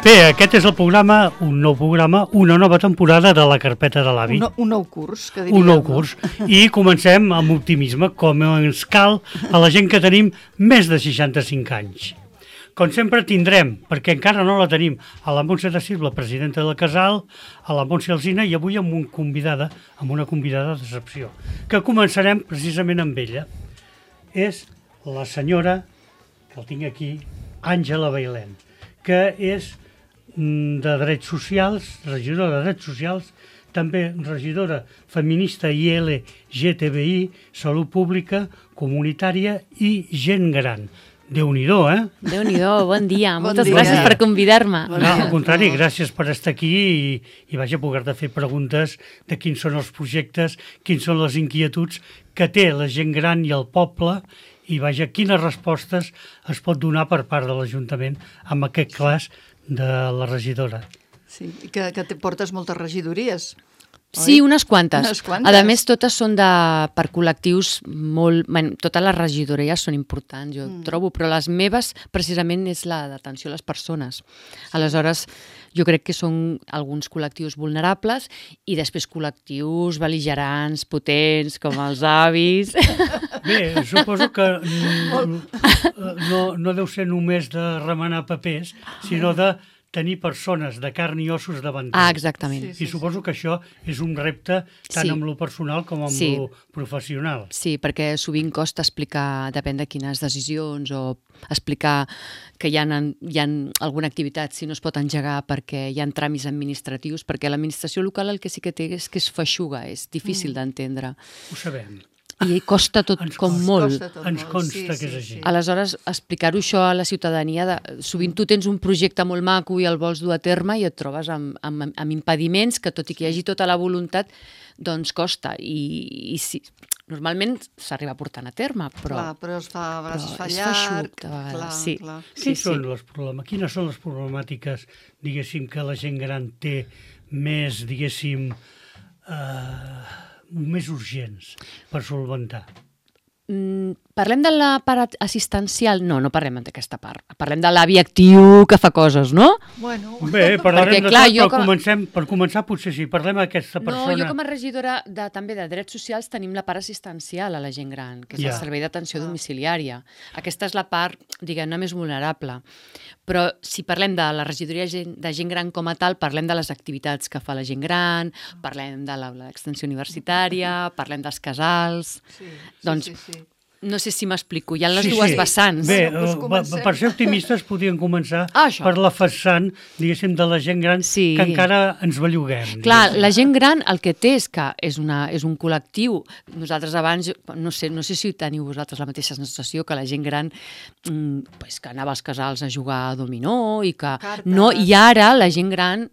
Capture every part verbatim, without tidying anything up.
Bé, aquest és el programa, un nou programa, una nova temporada de la carpeta de l'avi. Un, un nou curs, que diríem. Un nou curs. I comencem amb optimisme, com ens cal a la gent que tenim més de seixanta-cinc anys. Com sempre tindrem, perquè encara no la tenim, a la Montse de Sil, la presidenta del Casal, a la Montse Alsina i avui amb, un convidada, amb una convidada d'excepció, que començarem precisament amb ella. És la senyora, que el tinc aquí, Àngela Bailén, que és de Drets Socials, regidora de Drets Socials, també regidora feminista i L G T B I, Salut Pública, Comunitària i Gent Gran. Déu-n'hi-do, eh? Déu-n'hi-do, bon dia. Bon Moltes dia. gràcies per convidar-me. Bon No, dia. al contrari, gràcies per estar aquí i, i vaja, poder-te fer preguntes de quins són els projectes, quins són les inquietuds que té la gent gran i el poble i vaja, quines respostes es pot donar per part de l'Ajuntament amb aquest cas de la regidora. Sí, i que, que te portes moltes regidories. Sí, unes quantes. Unes quantes. A més, totes són de, per col·lectius molt... Bueno, totes les regidories són importants, jo mm. trobo, però les meves precisament és la d'atenció a les persones. Aleshores, jo crec que són alguns col·lectius vulnerables i després col·lectius bel·ligerants, potents, com els avis. Bé, suposo que no, no deu ser només de remenar papers, sinó de tenir persones de carn i ossos davant. Ah, exactament. Sí, sí. I suposo que això és un repte tant Sí. amb lo personal com amb Sí. lo professional. Sí, perquè sovint costa explicar, depèn de quines decisions, o explicar que hi ha, hi ha alguna activitat si no es pot engegar perquè hi ha tràmits administratius, perquè l'administració local el que sí que té és que és feixuga, és difícil mm. d'entendre. Ho sabem. I costa tot Ens com costa. molt. Costa tot Ens molt. consta que és així. Aleshores, explicar-ho això a la ciutadania, de, sovint tu tens un projecte molt maco i el vols dur a terme i et trobes amb, amb, amb impediments que, tot i que hi hagi tota la voluntat, doncs costa. I, i sí, normalment s'arriba portant a terme, però... Clar, però es fa, a vegades es fa és llarg. feixuc, de vegades, clar, sí. clar. Sí, Quins sí. són les problemes? Quines són les problemàtiques, diguéssim, que la gent gran té més, diguéssim, eh, més urgents per solventar? Mm, parlem de la part assistencial? No, no parlem d'aquesta part. Parlem de l'avi actiu que fa coses, no? Bueno, Bé, parlarem Perquè, de clar, tot, jo però com a- comencem, per començar potser sí, parlem d'aquesta No, persona. jo com a regidora de, també de Drets Socials tenim la part assistencial a la gent gran, que és Ja. el servei d'atenció Ah. domiciliària. Aquesta és la part, diguem-ne, més vulnerable. Però si parlem de la regidoria gent- de gent gran com a tal, parlem de les activitats que fa la gent gran, parlem de l'aula d'extensió universitària, parlem dels casals... sí, sí, Doncs, sí, sí. No sé si m'explico, hi ha les Sí, dues sí. vessants. Bé, Bueno, doncs eh, comencem. per ser optimistes podríem començar Ah, això. per la vessant, diguéssim, de la gent gran Sí. que encara ens belluguem. Clar, diguéssim. la gent gran el que té és que és, una, és un col·lectiu. Nosaltres abans, no sé, no sé si teniu vosaltres la mateixa sensació que la gent gran mm, pues, que anava als casals a jugar a dominó i que... Cartes. No, i ara la gent gran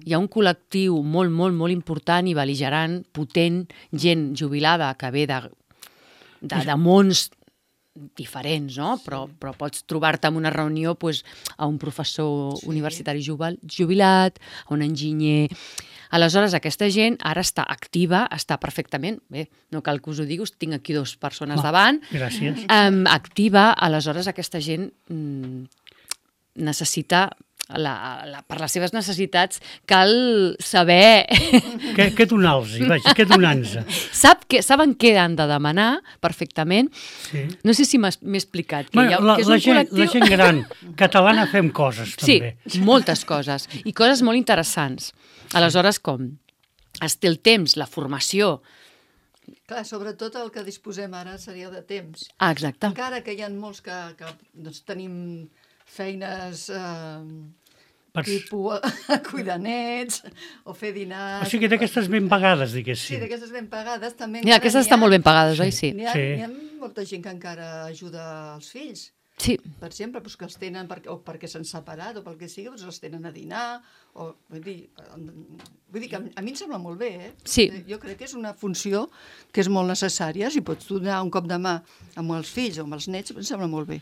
hi ha un col·lectiu molt, molt, molt important i bel·ligerant, potent, gent jubilada que ve de, de, de mons diferents, no? Però, però pots trobar-te en una reunió pues, a un professor Sí. universitari jubil- jubilat, a un enginyer... Aleshores, aquesta gent ara està activa, està perfectament, bé, no cal que us ho digui, us tinc aquí dues persones Va. davant, Gràcies. um, activa, aleshores aquesta gent mm, necessita, la, la, per les seves necessitats, cal saber... Què, què donar-los? Vaja, què donar-nos? Sap que, saben què han de demanar perfectament. Sí. No sé si m'ha- m'he explicat. Que, Bueno, hi ha, la, que és la, un gent, col·lectiu... la gent gran catalana fem coses, Sí, també. moltes coses. I coses molt interessants. Aleshores, com es té el temps, la formació... Clar, sobretot el que disposem ara seria de temps. Ah, exacte. Encara que hi ha molts que, que doncs, tenim feines eh, Per... tipus cuidar nets o fer dinars... O sigui, d'aquestes ben pagades, Sí, diguéssim. d'aquestes ben pagades també... Ja, encara aquestes n'hi estan ha- molt ben pagades, oi? Sí. N'hi ha, Sí. n'hi ha molta gent que encara ajuda els fills. Sí. Per exemple, doncs que els tenen perquè, o perquè s'han separat o pel que sigui, doncs els tenen a dinar o, vull dir, vull dir que a mi em sembla molt bé, eh? Sí. Jo crec que és una funció que és molt necessària. Si pots donar un cop de mà amb els fills o amb els nets, em sembla molt bé.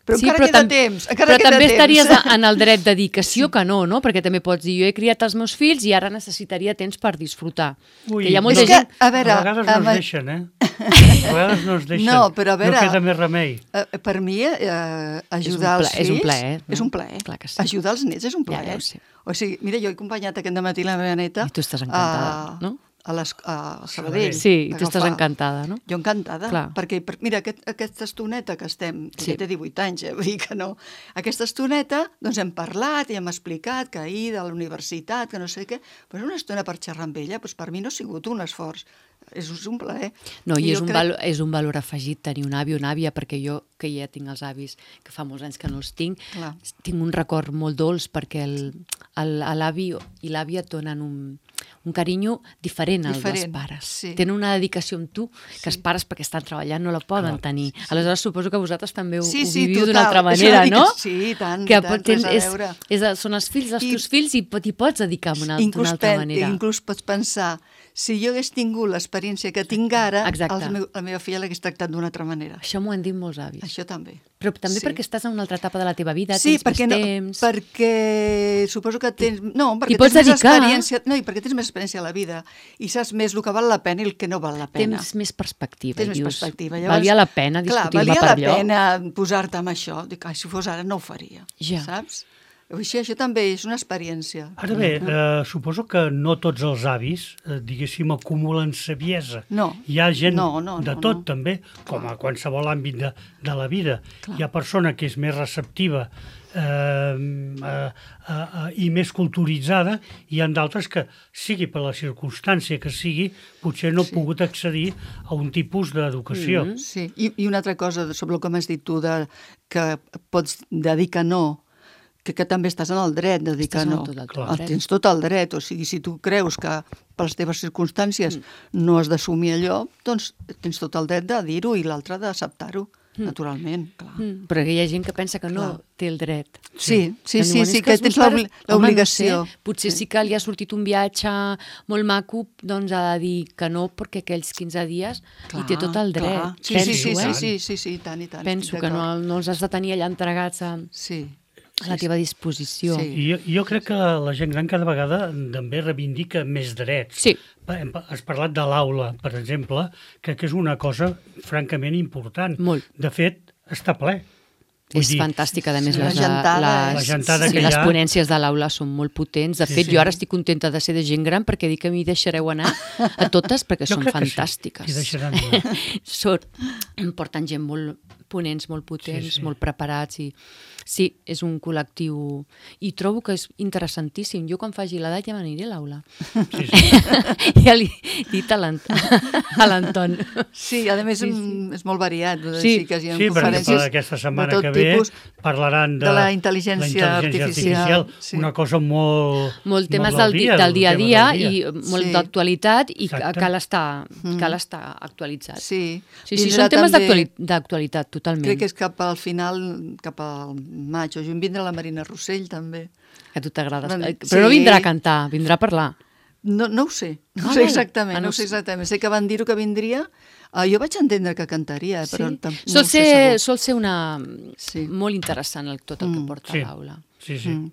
Però Sí, encara però queda tam- temps. Encara Però queda també temps. estaries en el dret de dir que sí o que no, no? Perquè també pots dir, jo he criat els meus fills i ara necessitaria temps per disfrutar. Ui, que hi ha molta És que, gent... a veure, a vegades no amb- es deixen, eh? A vegades no es deixen, No, però a veure, no queda més remei. Eh, per mi, eh, ajudar pla- els fills... és un plaer, no? És un plaer. Clar que sí. Ajudar els nets és un Ja, plaer. ja ho sé. O sigui, mira, jo he acompanyat aquest matí la meva neta... I tu estàs encantada, a, no? A, les, a Sabadell. Sí, tu estàs Agafar- encantada, no? Jo encantada, Clar. perquè, per, mira, aquest, aquesta estoneta que estem, Sí. sí. té divuit anys, eh, vull dir que no, aquesta estoneta, doncs hem parlat i hem explicat que ahir de la universitat, que no sé què, però una estona per xerrar amb ella, doncs per mi no ha sigut un esforç, és un plaer. No, i és jo un, crec- valor, és un valor afegit tenir un avi o una àvia, perquè jo, que ja tinc els avis, que fa molts anys que no els tinc, Clar. tinc un record molt dolç, perquè el- el- l'avi i l'àvia et donen un, un carinyo diferent al dels Diferent, pares. sí. Tenen una dedicació amb tu que els pares, perquè estan treballant, no la poden Clar. tenir. Aleshores, suposo que vosaltres també ho, Sí, ho sí, viviu total. d'una altra És una manera, mica- no? sí, i tant, que i tant, tens- res a és, veure. és, són els fills dels I- teus fills i t'hi pots dedicar d'una Inclús, altra pen, manera. inclús pots pensar, si jo hagués tingut l'experiència que tinc ara, Exacte. els meu, la meva filla l'hagués tractat d'una altra manera. Això m'ho han dit molts avis. Això també. Però també Sí. perquè estàs en una altra etapa de la teva vida, Sí, tens perquè, més no, temps... perquè suposo que tens... No, perquè T'hi pots tens més dedicar. experiència... No, i perquè tens més experiència a la vida i saps més el que val la pena i el que no val la pena. Tens més perspectiva. Tens i més dius, perspectiva. Valia la pena clar, discutir-me valia per la allò. pena posar-te amb això. Dic, ai, si fos ara no ho faria, Ja. saps? Així, això també és una experiència. Ara bé, eh, suposo que no tots els avis, eh, diguéssim, acumulen saviesa. No. Hi ha gent No, no, de no, tot, no. també, com a qualsevol àmbit de, de la vida. Clar. Hi ha persona que és més receptiva eh, eh, eh, i més culturitzada, i hi ha d'altres que, sigui per la circumstància que sigui, potser no ha Sí. pogut accedir a un tipus d'educació. Mm-hmm. Sí, i, i una altra cosa sobre el que m'has dit tu, de, que pots de dir que no, que, que també estàs en el dret de dir Estàs que en no. tot el Clar. dret. El tens tot el dret, o sigui, si tu creus que per les teves circumstàncies no has d'assumir allò, doncs tens tot el dret de dir-ho i l'altre d'acceptar-ho, naturalment, clar. Mm, però hi ha gent que pensa que no Clar. té el dret. Sí, sí, Que sí, diuen, sí, "És que els tens meus l'obli- pares-" Home, l'obligació. No sé, potser sí que li ha sortit un viatge molt maco, doncs ha de dir que no, perquè aquells quinze dies hi té tot el dret. clar. Sí, Penso, sí, sí, eh? sí, sí, sí, sí, i tant, i tant. Penso estic que no, d'acord. no els has de tenir allà entregats a, Sí. a la teva disposició. Sí. I jo, jo crec que la gent gran cada vegada també reivindica més drets. Sí. Hem- Has parlat de l'aula, per exemple, que, que és una cosa francament important. Molt. De fet, està ple. Vull És dir, fantàstica, a més, sí, la les, gentada les, és- La gentada sí, que hi les ha. ponències de l'aula són molt potents. De Sí, fet, sí. jo ara estic contenta de ser de gent gran perquè dic que m'hi deixareu anar a totes perquè jo són crec que sí, fantàstiques. t'hi deixaran anar. Són, em porten gent molt ponents, molt potents, Sí, sí. molt preparats i sí, és un col·lectiu i trobo que és interessantíssim. Jo quan faci l'edat ja m'aniré a l'aula. Sí, sí. Ja li he dit a l'Ant- a l'Anton. Sí, a més Sí, sí. mm, és molt variat. vull Sí. dir que hi ha Sí, per conferències exemple, aquesta setmana de tot que ve tipus, parlaran de, de la intel·ligència artificial, sí. una cosa molt... Molt temes molt del, di, del dia a tema dia del i molt Sí. d'actualitat i ca- Exacte. cal estar, cal estar actualitzat. Sí, Sí, sí, Vindrà són temes també- d'actuali- d'actualitat, totalment. Crec que és cap al final, cap al maig o juny, vindrà la Marina Rossell, també. Que a tu t'agrada. Bueno, Però sí. no vindrà a cantar, vindrà a parlar. No, no ho sé, no Ah, ho sé val. exactament, Ah, no no ho sé sé. exactament. Sé que van dir-ho que vindria. Uh, jo vaig entendre que cantaria, eh, però Sí. tam- no Sol, ho sé ser, segur. sol ser una... Sí. molt interessant el, tot el que Mm. porta Sí. a l'aula. Sí, sí. Mm.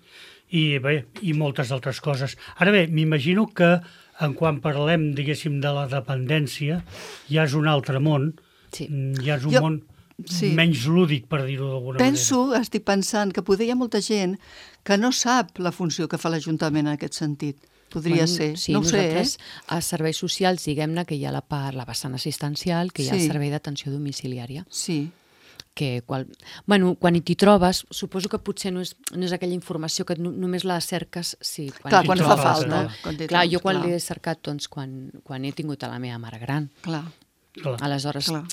I bé, i moltes altres coses. Ara bé, m'imagino que en quan parlem, diguéssim, de la dependència, ja és un altre món, Sí. mm, ja és un Jo- món sí. menys lúdic, per dir-ho d'alguna Penso, estic pensant, que poder hi ha molta gent que no sap la funció que fa l'Ajuntament en aquest sentit. Podria Quan- ser. Sí, no ho sé, eh? nosaltres, a serveis socials, diguem-ne que hi ha la part, la vessant assistencial, que hi ha el Sí. servei d'atenció domiciliària, Sí, que qual, bueno, quan t'hi trobes, suposo que potser no és, no és aquella informació que no, només la cerques sí, quan clar, t'hi quan fa trobes, falta. no? Quan t'hi Clar, trobes, jo quan clar. l'he cercat, doncs, quan, quan he tingut a la meva mare gran. Clar, Clar. Aleshores, clar.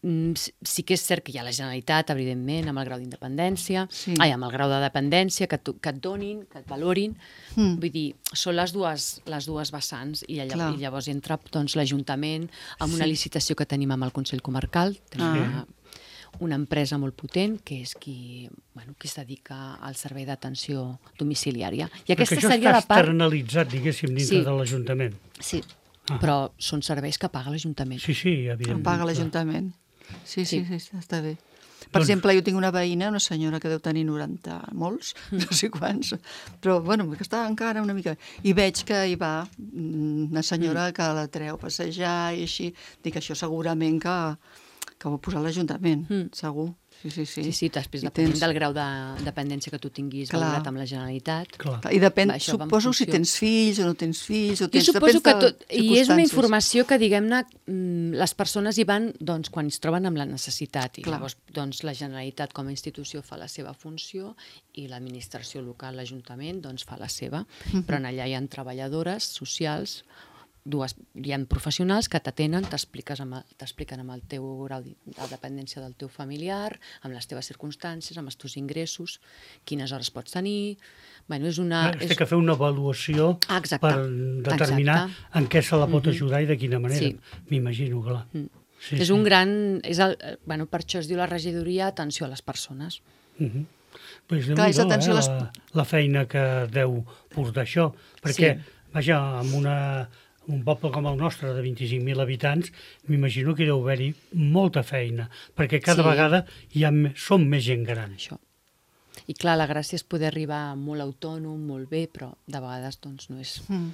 mm, sí- sí que és cert que hi ha la Generalitat, evidentment, amb el grau d'independència, Sí. ai, amb el grau de dependència, que, tu, que et donin, que et valorin. Mm. Vull dir, són les dues, les dues vessants i, allà, Clar. i llavors entra doncs, l'Ajuntament amb una Sí. licitació que tenim amb el Consell Comarcal, tenim Ah. una, una empresa molt potent que és qui, bueno, qui es dedica al servei d'atenció domiciliària. I aquesta Perquè això seria està la part... externalitzat, diguéssim, dintre Sí. de l'Ajuntament. Sí, Ah. però són serveis que paga l'Ajuntament. Sí, sí, Em evidentment. paga clar. l'Ajuntament. Sí, sí, Sí. sí, sí, està bé. Per Doncs- exemple, jo tinc una veïna, una senyora que deu tenir noranta molts, no sé quants, però, bueno, que està encara una mica... I veig que hi va mm, una senyora que la treu a passejar i així. Dic, això segurament que, que ho ha posat l'Ajuntament, Mm. segur. Sí, sí, sí. Sí, sí, després I depenent tens- del grau de dependència que tu tinguis Clar. valorat amb la Generalitat. Clar. I depèn, Va, això va en suposo, si funció. tens fills o no tens fills, o Jo tens... suposo depèn que de tot... I és una circumstàncies. informació que, diguem-ne, mm, les persones hi van doncs, quan es troben amb la necessitat. I Clar. llavors doncs, la Generalitat com a institució fa la seva funció i l'administració local, l'Ajuntament, doncs, fa la seva. Però en allà hi ha treballadores socials, dues, hi ha professionals que t'atenen, t'expliques amb el- t'expliquen amb el teu grau de de dependència del teu familiar, amb les teves circumstàncies, amb els teus ingressos, quines hores pots tenir... Bueno, és una... Ah, es té que fer una avaluació Ah, exacte. per determinar Exacte. en què se la pot ajudar i de quina manera. Sí. M'imagino, clar. Mm. Sí, és sí. un gran... És el, eh, bueno, per això es diu la regidoria Atenció a les Persones. Mhm. Pues Clar, és Déu-n'hi-do, atenció a eh, les- la, la feina que deu portar això, perquè, Sí. vaja, amb una, un poble com el nostre, de vint-i-cinc mil habitants, m'imagino que hi deu haver-hi molta feina, perquè cada Sí. vegada hi ha, me- som més gent gran. Això. I clar, la gràcia és poder arribar molt autònom, molt bé, però de vegades doncs no és... Mm.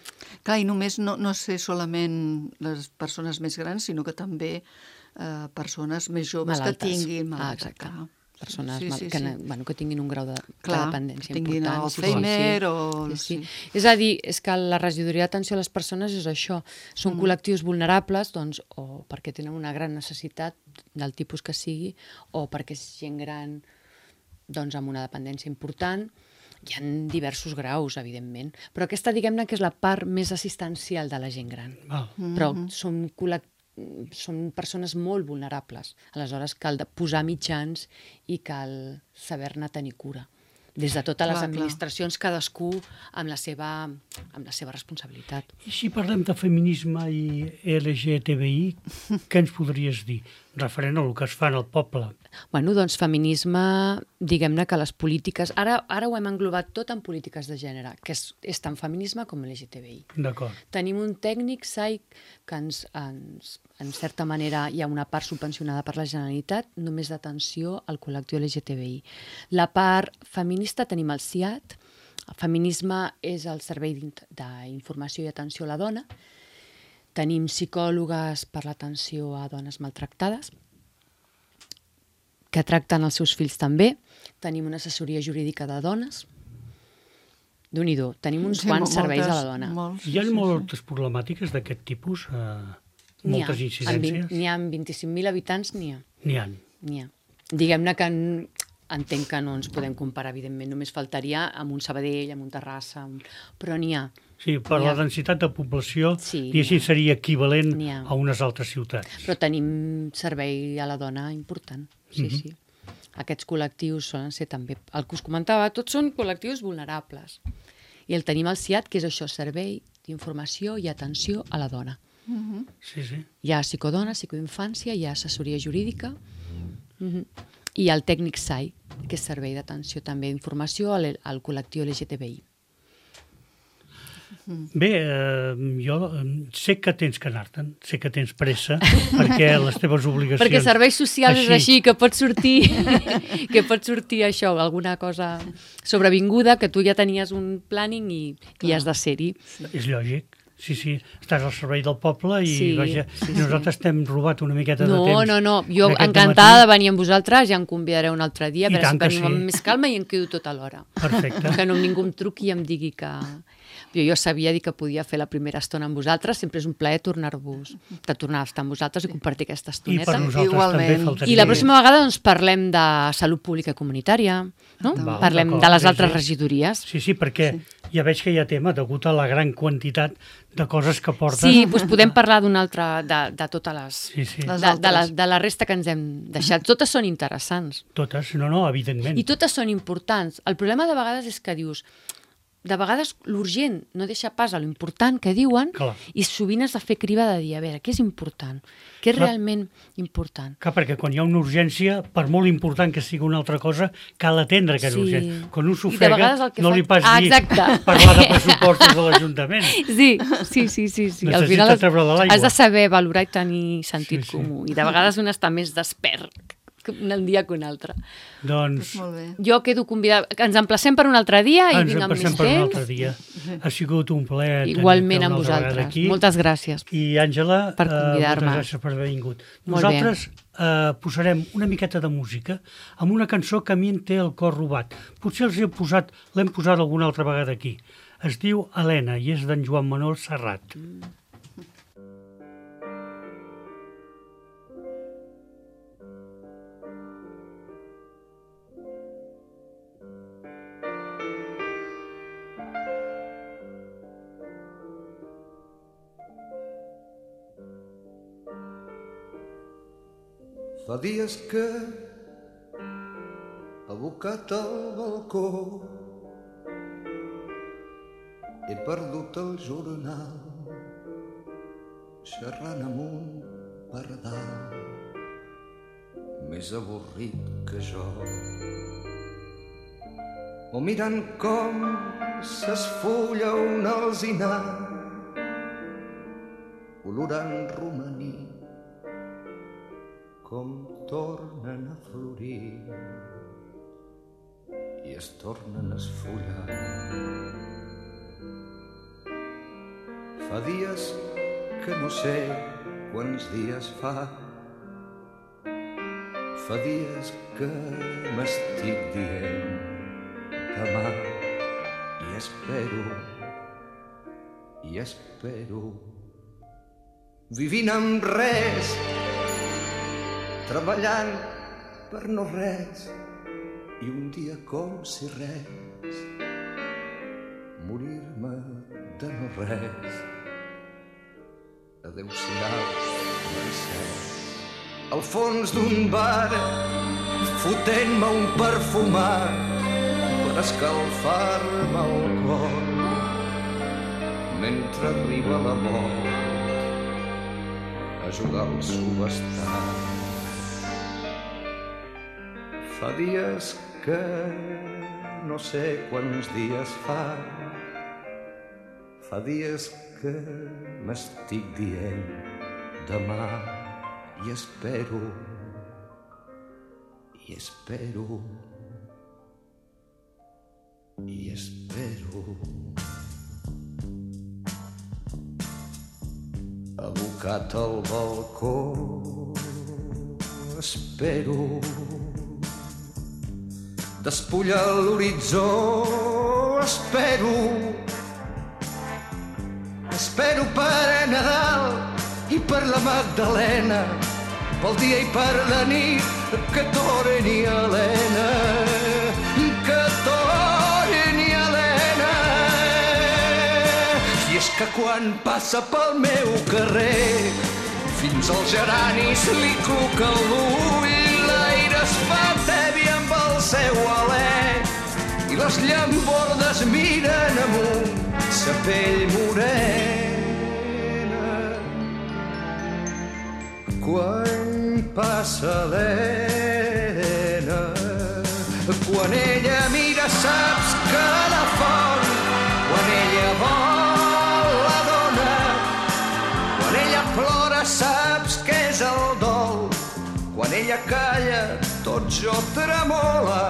Clar, i només no, no ser solament les persones més grans, sinó que també eh, persones més joves Malaltes. que tinguin... Ah, malaltes, exacte. clar. Persones Sí, mal, sí, que, sí. ne- bueno, que tinguin un grau de, Clar, de dependència que tinguin important. Alzheimer o- Sí, sí. sí. És a dir, és que la regidoria d'atenció a les persones és això. Són Mm. col·lectius vulnerables doncs, o perquè tenen una gran necessitat del tipus que sigui o perquè és gent gran doncs, amb una dependència important. Hi ha diversos graus, evidentment. Però aquesta, diguem-ne, que és la part més assistencial de la gent gran. Val. Però són, col·lec- són persones molt vulnerables. Aleshores cal de posar mitjans i cal saber-ne tenir cura. Des de totes les Clar, clar. administracions, cadascú amb la seva, amb la seva responsabilitat. I si parlem de feminisme i L G T B I, què ens podries dir? Referent al que es fa en el poble. Bueno, doncs feminisme, diguem-ne que les polítiques... Ara, ara ho hem englobat tot en polítiques de gènere, que és, és tant feminisme com L G T B I. D'acord. Tenim un tècnic, S A I, que ens, ens, en certa manera hi ha una part subvencionada per la Generalitat, només d'atenció al col·lectiu L G T B I. La part feminista tenim el C I A T, el feminisme és el Servei d'Int- d'Informació i Atenció a la Dona, tenim psicòlogues per l'atenció a dones maltractades, que tracten els seus fills també, tenim una assessoria jurídica de dones, Déu-n'hi-do, tenim uns Sí, quants mo- serveis moltes- a la dona. molts, Hi ha sí, sí, moltes problemàtiques d'aquest tipus? Eh, N'hi ha. moltes En incidències? vint- N'hi ha amb vint-i-cinc mil habitants, n'hi ha. N'hi ha. N'hi ha. Diguem-ne que en, entenc que no ens podem comparar, evidentment, només faltaria amb un Sabadell, amb un Terrassa, amb... però n'hi ha. Sí, per N'hi la ha. densitat de població, Sí, i així n'hi ha. seria equivalent N'hi ha. a unes altres ciutats. Però tenim servei a la dona important, sí, Mhm. sí. Aquests col·lectius solen ser també, el que us comentava, tots són col·lectius vulnerables. I el tenim al C I A T, que és això, servei d'informació i atenció a la dona. Sí, sí. Hi ha psicodona, psicoinfància, hi ha assessoria jurídica, mhm, i hi ha el tècnic S A I, que és servei d'atenció també d'informació al, al col·lectiu L G T B I. Bé, eh, jo eh, sé que tens que anar-te'n, sé que tens pressa, perquè les teves obligacions... Perquè serveis socials és així, que pot sortir, que pot sortir això, alguna cosa sobrevinguda, que tu ja tenies un planning i, i has de ser-hi. És lògic. Sí, sí, estàs al servei del poble i Sí, vaja, sí, nosaltres t'hem robat una miqueta de No, temps. no, no, jo d'aquest encantada de dematí. venir amb vosaltres, ja em convidareu un altre dia, a I veure si tant que venim sí. amb més calma i em quedo tota l'hora. Perfecte. Que no ningú em truqui i em digui que... Jo, jo sabia dir que podia fer la primera estona amb vosaltres, sempre és un plaer tornar-vos, de tornar a estar amb vosaltres i compartir aquesta I estoneta. per nosaltres Igualment. també faltaria. I la pròxima vegada doncs, parlem de salut pública i comunitària, no? Val, Parlem d'acord, de les sí, altres sí. regidories. Sí, sí, perquè sí. ja veig que hi ha tema degut a la gran quantitat de coses que portes. Sí, doncs podem parlar d'una altra, de, de totes les... Sí, sí. Les De, de, la, altres. de la resta que ens hem deixat. Totes són interessants. Totes, no, no, evidentment. I totes són importants. El problema de vegades és que dius, de vegades l'urgent no deixa pas a l'important que diuen Clar. i sovint has de fer criba de dir, a veure, què és important? Què és Clar. realment important? Clar, perquè quan hi ha una urgència, per molt important que sigui una altra cosa, cal atendre aquesta Sí. urgència. Quan un I de s'ofega, vegades el que no faig- li pas Ah, dir exacte. parlar de pressupostos de l'Ajuntament. Sí, sí, sí, sí. sí. Al Necessita final has, treure de l'aigua. has de saber valorar i tenir sentit Sí, sí. comú. I de vegades un està més despert un dia que un altre. Doncs Molt bé. Jo quedo convidada. Ens emplacem per un altre dia i ens vinc amb passem més per un temps. altre dia. Ha sigut un plaer tenir-te Igualment una amb altra vegada vosaltres. aquí. Moltes gràcies. I, Àngela, Per eh, convidar-me. moltes gràcies per haver vingut. Molt Nosaltres eh, posarem una miqueta de música amb una cançó que a mi em té el cor robat. Potser els he posat, l'hem posat alguna altra vegada aquí. Es diu Helena i és d'en Joan Manuel Serrat. Mm. Fa dies que, abocat al balcó, he perdut el jornal, xerrant amb un pardal, més avorrit que jo. O mirant com s'esfulla un alzinar, olorant romaní, com tornen a florir i es tornen a esfollar. Fa dies que no sé quants dies fa, fa dies que m'estic dient demà i espero, i espero, vivint amb res, treballant per no res, i un dia com si res, morir-me de no res. Adéu-siau, Mercè. Al fons d'un bar, fotent-me un perfumat per escalfar-me el cor, mentre arriba la mort a jugar al subestat. Fa dies que no sé quants dies fa, fa dies que m'estic dient demà i espero, i espero, i espero. Abocat al balcó, espero, despullar l'horitzó, espero, espero per Nadal i per la Magdalena, pel dia i per la nit, que torni Helena, que torni Helena. I és que quan passa pel meu carrer, fins als geranis li cluca l'ull, l'aire es fa tebi amb el seu alè, i les llambordes miren amunt sa pell morena. Quan passa l'Helena, quan ella mira saps que la font, quan ella vol la dona, quan ella plora saps que és el dol, quan ella calla tot jo tremola,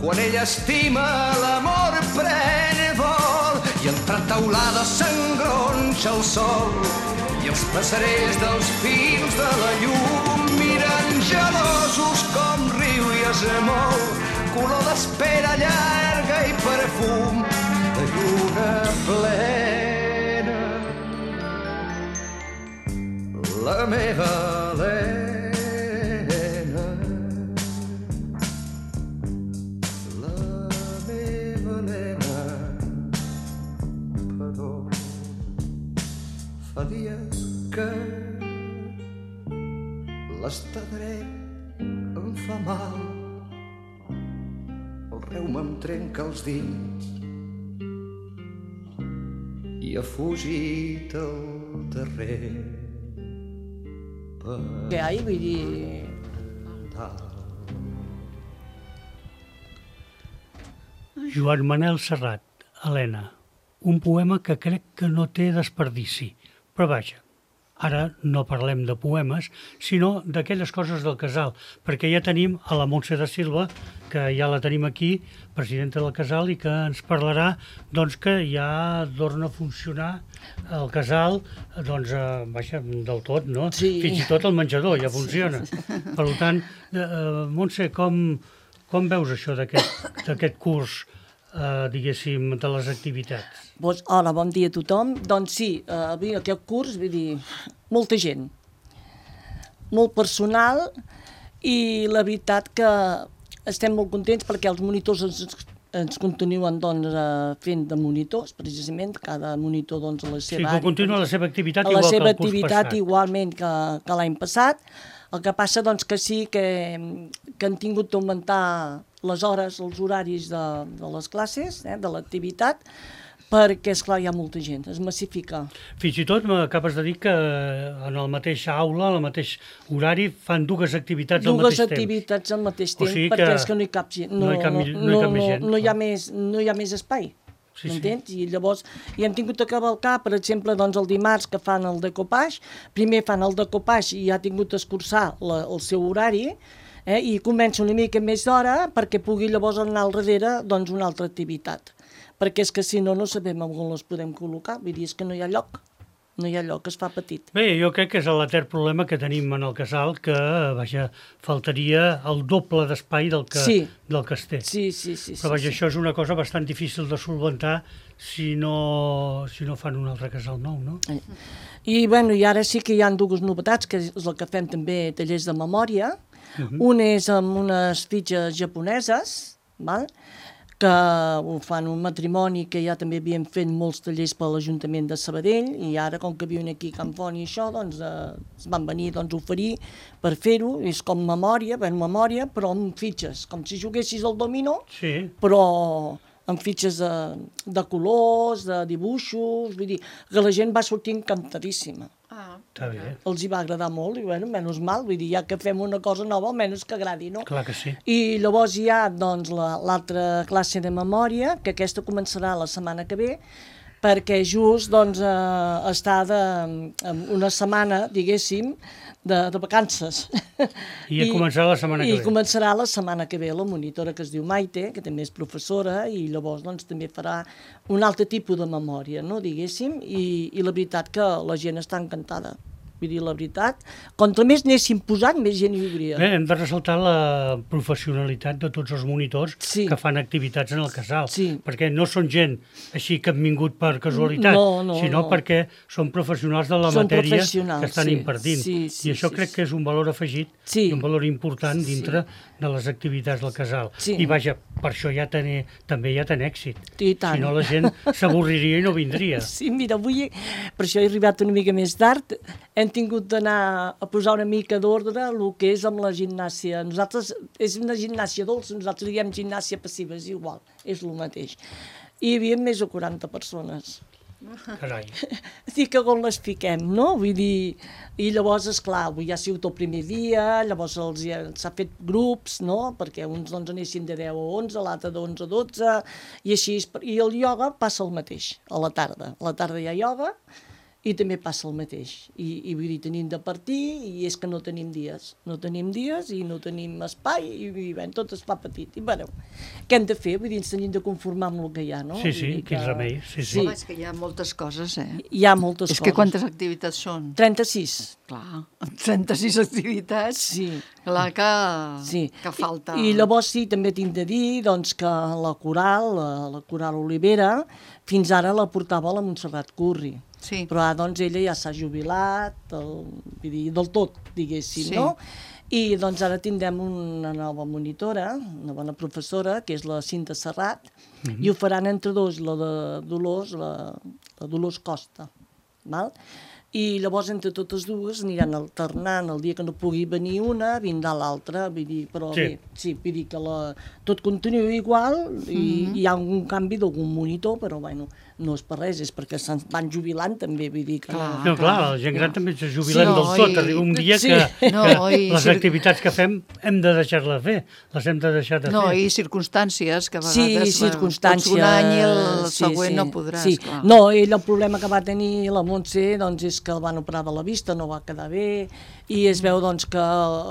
quan ella estima l'amor pren vol, i entre taulades s'engronxa el sol i els passarells dels fils de la llum miren gelosos com riu i es mou, color d'espera llarga i perfum de lluna plena. La meva Helena, la meva Helena, però fa dies que l'estar dret em fa mal, el reuma em trenca els dits i ha fugit el darrer. Que hay, vull dir... Joan Manel Serrat, Helena, un poema que crec que no té desperdici, però vaja, ara no parlem de poemes, sinó d'aquelles coses del casal, perquè ja tenim a la Montse de Silva, que ja la tenim aquí, presidenta del casal, i que ens parlarà doncs, que ja torna a funcionar el casal doncs, eh, vaja, del tot, no? Sí. Fins i tot el menjador ja funciona. Per tant, eh, Montse, com, com veus això d'aquest curs, eh, diguéssim, de les activitats? Pues, hola, bon dia a tothom. Doncs sí, eh, aquest curs, vull dir, molta gent, molt personal, i la veritat que estem molt contents perquè els monitors ens, ens continuen doncs, fent de monitors, precisament, cada monitor doncs, a la seva àrea. Sí, que continua la seva activitat igual que el curs passat. A la seva activitat igualment que, que l'any passat. El que passa doncs, que sí que, que han tingut d'augmentar les hores, els horaris de, de les classes, eh, de l'activitat, perquè, esclar, hi ha molta gent, es massifica. Fins i tot m'acabes de dir que en el mateix aula, en el mateix horari, fan dues activitats al mateix temps. Dues activitats al mateix temps, perquè és que no hi cap gent. No hi cap més gent. No hi ha més, no hi ha més espai. Sí, m'entens? sí. I llavors hi hem tingut a cavalcar, per exemple, doncs el dimarts que fan el decopage, primer fan el decopage i ha tingut d'escurçar el seu horari, eh, i comença una mica més d'hora perquè pugui llavors anar al darrere doncs, una altra activitat. Perquè és que si no, no sabem on les podem col·locar, vull dir, és que no hi ha lloc. No hi ha lloc, es fa petit. Bé, jo crec que és l'etern problema que tenim en el casal, que, vaja, faltaria el doble d'espai del, que, sí. del que es té. Sí, sí, sí. Però, vaja, sí, això és una cosa bastant difícil de solventar si no, si no fan un altre casal nou, no? I, bueno, i ara sí que hi ha dues novetats, que és el que fem també tallers de memòria. Uh -huh. Un és amb unes fitxes japoneses, val?, que ho fan un matrimoni que ja també havien fet molts tallers per l'Ajuntament de Sabadell, i ara, com que viuen aquí a Can Font i això, doncs eh, es van venir doncs, a oferir per fer-ho. És com memòria, ben memòria, però amb fitxes, com si juguessis al dominó, sí. però amb fitxes de, de colors, de dibuixos, vull dir, que la gent va sortir encantadíssima. Ah, està bé. Els hi va agradar molt, i bueno, menys mal, vull dir, ja que fem una cosa nova, almenys que agradi, no? Clar que sí. I llavors hi ha, doncs, l'altra classe de memòria, que aquesta començarà la setmana que ve, perquè just, doncs, eh, està de, una setmana, diguéssim, de, de vacances. I, I començarà la setmana que I ve. I començarà la setmana que ve la monitora, que es diu Maite, que també és professora, i llavors doncs, també farà un altre tipus de memòria, no, diguéssim, i, i la veritat que la gent està encantada. Vull dir, la veritat, contra més anéssim posant, més gent hi hauria. Bé, hem de ressaltar la professionalitat de tots els monitors sí. que fan activitats en el casal, sí. perquè no són gent així que han vingut per casualitat, no, no, sinó no. perquè són professionals de la són matèria que estan sí. impartint. Sí, sí, I això sí, crec sí. que és un valor afegit sí. i un valor important sí. dintre de les activitats del casal. Sí. I vaja, per això ja ten, també ja ten èxit. I tant. Si no, la gent s'avorriria i no vindria. Sí, mira, avui, per això he arribat una mica més tard, hem tingut d'anar a posar una mica d'ordre el que és amb la gimnàsia. Nosaltres, és una gimnàsia dolça, nosaltres diem gimnàsia passiva, és igual, és el mateix. I hi havia més de quaranta persones. Carai. Dic que on les fiquem, no? Vull dir, i llavors, esclar, avui ja ha sigut el primer dia, llavors s'ha fet grups, no? Perquè uns doncs anessin de deu a onze, l'altre d'onze a dotze, i així, i el ioga passa el mateix, a la tarda. A la tarda hi ha ioga, i també passa el mateix. I, i vull dir, tenim de partir, i és que no tenim dies. No tenim dies i no tenim espai, i, i bé, tot es fa petit. I bueno, què hem de fer? Vull dir, ens tenim de conformar amb el que hi ha, no? Sí, sí, que... quin remei. Sí, sí. Home, és que hi ha moltes coses, eh? Hi ha moltes és coses. És que quantes activitats són? trenta-sis. Clar, trenta-sis activitats. Sí. Clar que, sí. que falta... I, I llavors sí, també tinc de dir doncs, que la coral, la, la coral Olivera, fins ara la portava la Montserrat Curri. Sí. Però ara doncs, ella ja s'ha jubilat, el, vull dir, del tot, diguéssim, sí. no? I doncs ara tindrem una nova monitora, una bona professora, que és la Cinta Serrat, mm-hmm. i ho faran entre dos, la de Dolors, la, la Dolors Costa, val? I llavors entre totes dues aniran alternant, el dia que no pugui venir una, vindrà l'altra, vull dir, però sí. bé, sí, vull dir que la, tot continua igual, i mm-hmm. hi ha un canvi d'algun monitor, però bueno, no és per res, és perquè se'n van jubilant també, vull dir que... Clar. No, clar, la gent gran també se jubilen Sí, del tot. i- Arriba un dia Sí. que, No, que i- les sí. activitats que fem hem de deixar-les fer. Les hem de deixar de No, fer. i circumstàncies que a Sí, vegades... bueno, circumstàncies. pots un any i el sí, següent sí, no podràs, sí. clar. No, ell el problema que va tenir la Montse doncs, és que el van operar de la vista, no va quedar bé, i es veu doncs, que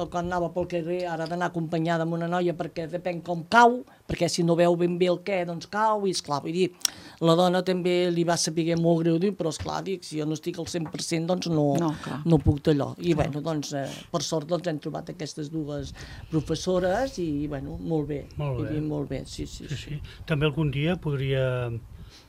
quan anava pel carrer ara ha d'anar acompanyada amb una noia perquè depèn com cau, perquè si no veu ben bé el què, doncs cau, i esclar, vull dir, la dona també li va saber molt greu dir, però esclar, dic, si jo no estic al cent per cent, doncs no, No, clar. no puc d'allò. I bueno, doncs, eh, per sort doncs, hem trobat aquestes dues professores i, bueno, molt bé. Molt bé. Vull dir, molt bé, sí, sí. Sí, sí. També algun dia podria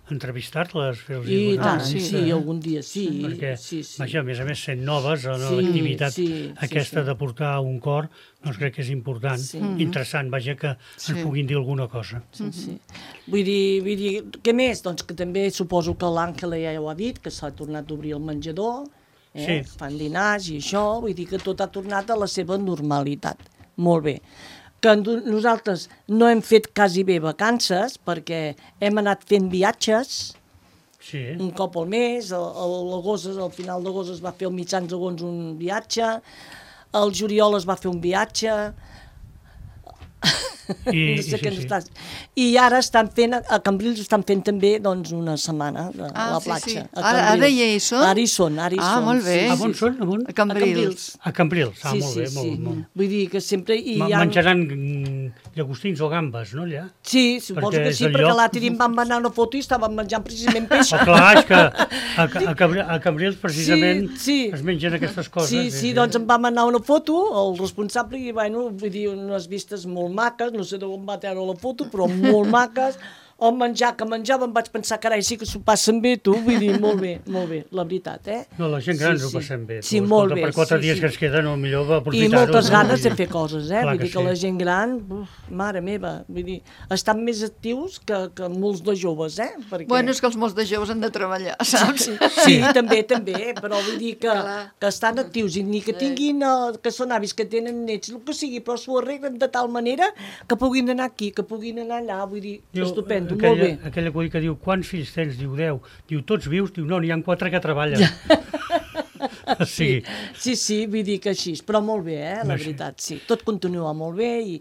entrevistar-les, fer-los I una tant, Ah, sí, sí, entrevista, eh? algun dia sí. Perquè, sí, sí. vaja, a més a més, sent noves, en Sí, l'activitat sí, sí, aquesta sí. de portar un cor, doncs crec que és important, Sí. interessant, vaja, que Sí. ens puguin dir alguna cosa. Sí, sí. Vull dir, vull dir, què més? Doncs que també suposo que l'Àngela ja ho ha dit, que s'ha tornat a obrir el menjador, eh? Sí. Fan dinars i això, vull dir que tot ha tornat a la seva normalitat. Molt bé. Que nosaltres no hem fet quasi bé vacances perquè hem anat fent viatges, Sí, un cop al mes, a, a l'agost, al final d'agost es va fer al mitjans d'agost un viatge, al juliol es va fer un viatge, I, no i sé sí, què sí. estàs... I ara estan fent, a Cambrils estan fent també doncs, una setmana a Ah, la sí, platja. sí. a Ara- Cambrils. ara ja hi són? Ara hi són, ara hi Ah, són. molt bé. Sí, A sí, on sí. són? A on? A Cambrils. Cambrils. A Cambrils, ah, Sí, molt sí, bé, sí. molt, molt. Vull dir que sempre hi Ma- ha... Menjaran mm, llagostins o gambes, no, allà? Sí, suposo Perquè que és sí, el perquè lloc- l'altre dia em van manar una foto i estaven menjant precisament peix. Oh, clar, és que a, a, Cabri- a Cambrils precisament Sí, sí. es mengen aquestes coses. Sí, sí, doncs em va manar una foto, el responsable, i bueno, vull dir, unes vistes molt maques, no sé d'on va treure la foto, però molt maques. El menjar que menjava em vaig pensar, carai, sí que s'ho passen bé, tu, vull dir, molt bé, molt bé, la veritat, eh? No, la gent gran Sí, ho sí. passem bé. Sí, Tu, molt escolta, bé, Per quatre sí, dies sí. que ens queden, el millor va I aprofitar-ho. moltes no? ganes Vull de dir, fer coses, eh? clar Vull que dir que sí. la gent gran, uf, mare meva, vull dir, estan més actius que, que molts de joves, eh? Perquè... Bueno, és que els molts de joves han de treballar, saps? Sí, també, també, però vull dir que, Clar. que estan actius i ni que tinguin, eh, que són avis, que tenen nets, el que sigui, però s'ho arreglen de tal manera que puguin anar aquí, que puguin anar allà, vull dir, Diu, estupendo, aquella, molt bé. Aquell acudit que diu, quants fills tens? Diu, deu. Diu, tots vius? Diu, no, n'hi ha quatre que treballen. O sigui, Sí, sí, vull dir que així, però molt bé, eh, la No, sí. veritat, sí. Tot continua molt bé i,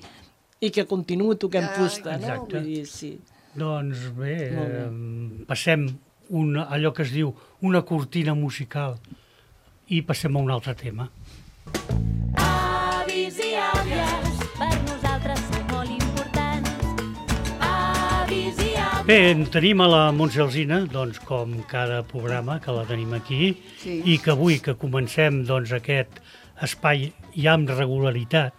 i que continuï toquem Ja, fusta, no? exacte. Vull dir, sí. doncs bé, Molt bé. eh, passem una, allò que es diu una cortina musical i passem a un altre tema. Avis i àvies, per nosaltres són molt importants. Avis i àvies. Bé, en tenim a la Montse Alsina, doncs, com cada programa que la tenim aquí, Sí. i que avui que comencem doncs, aquest espai ja amb regularitat,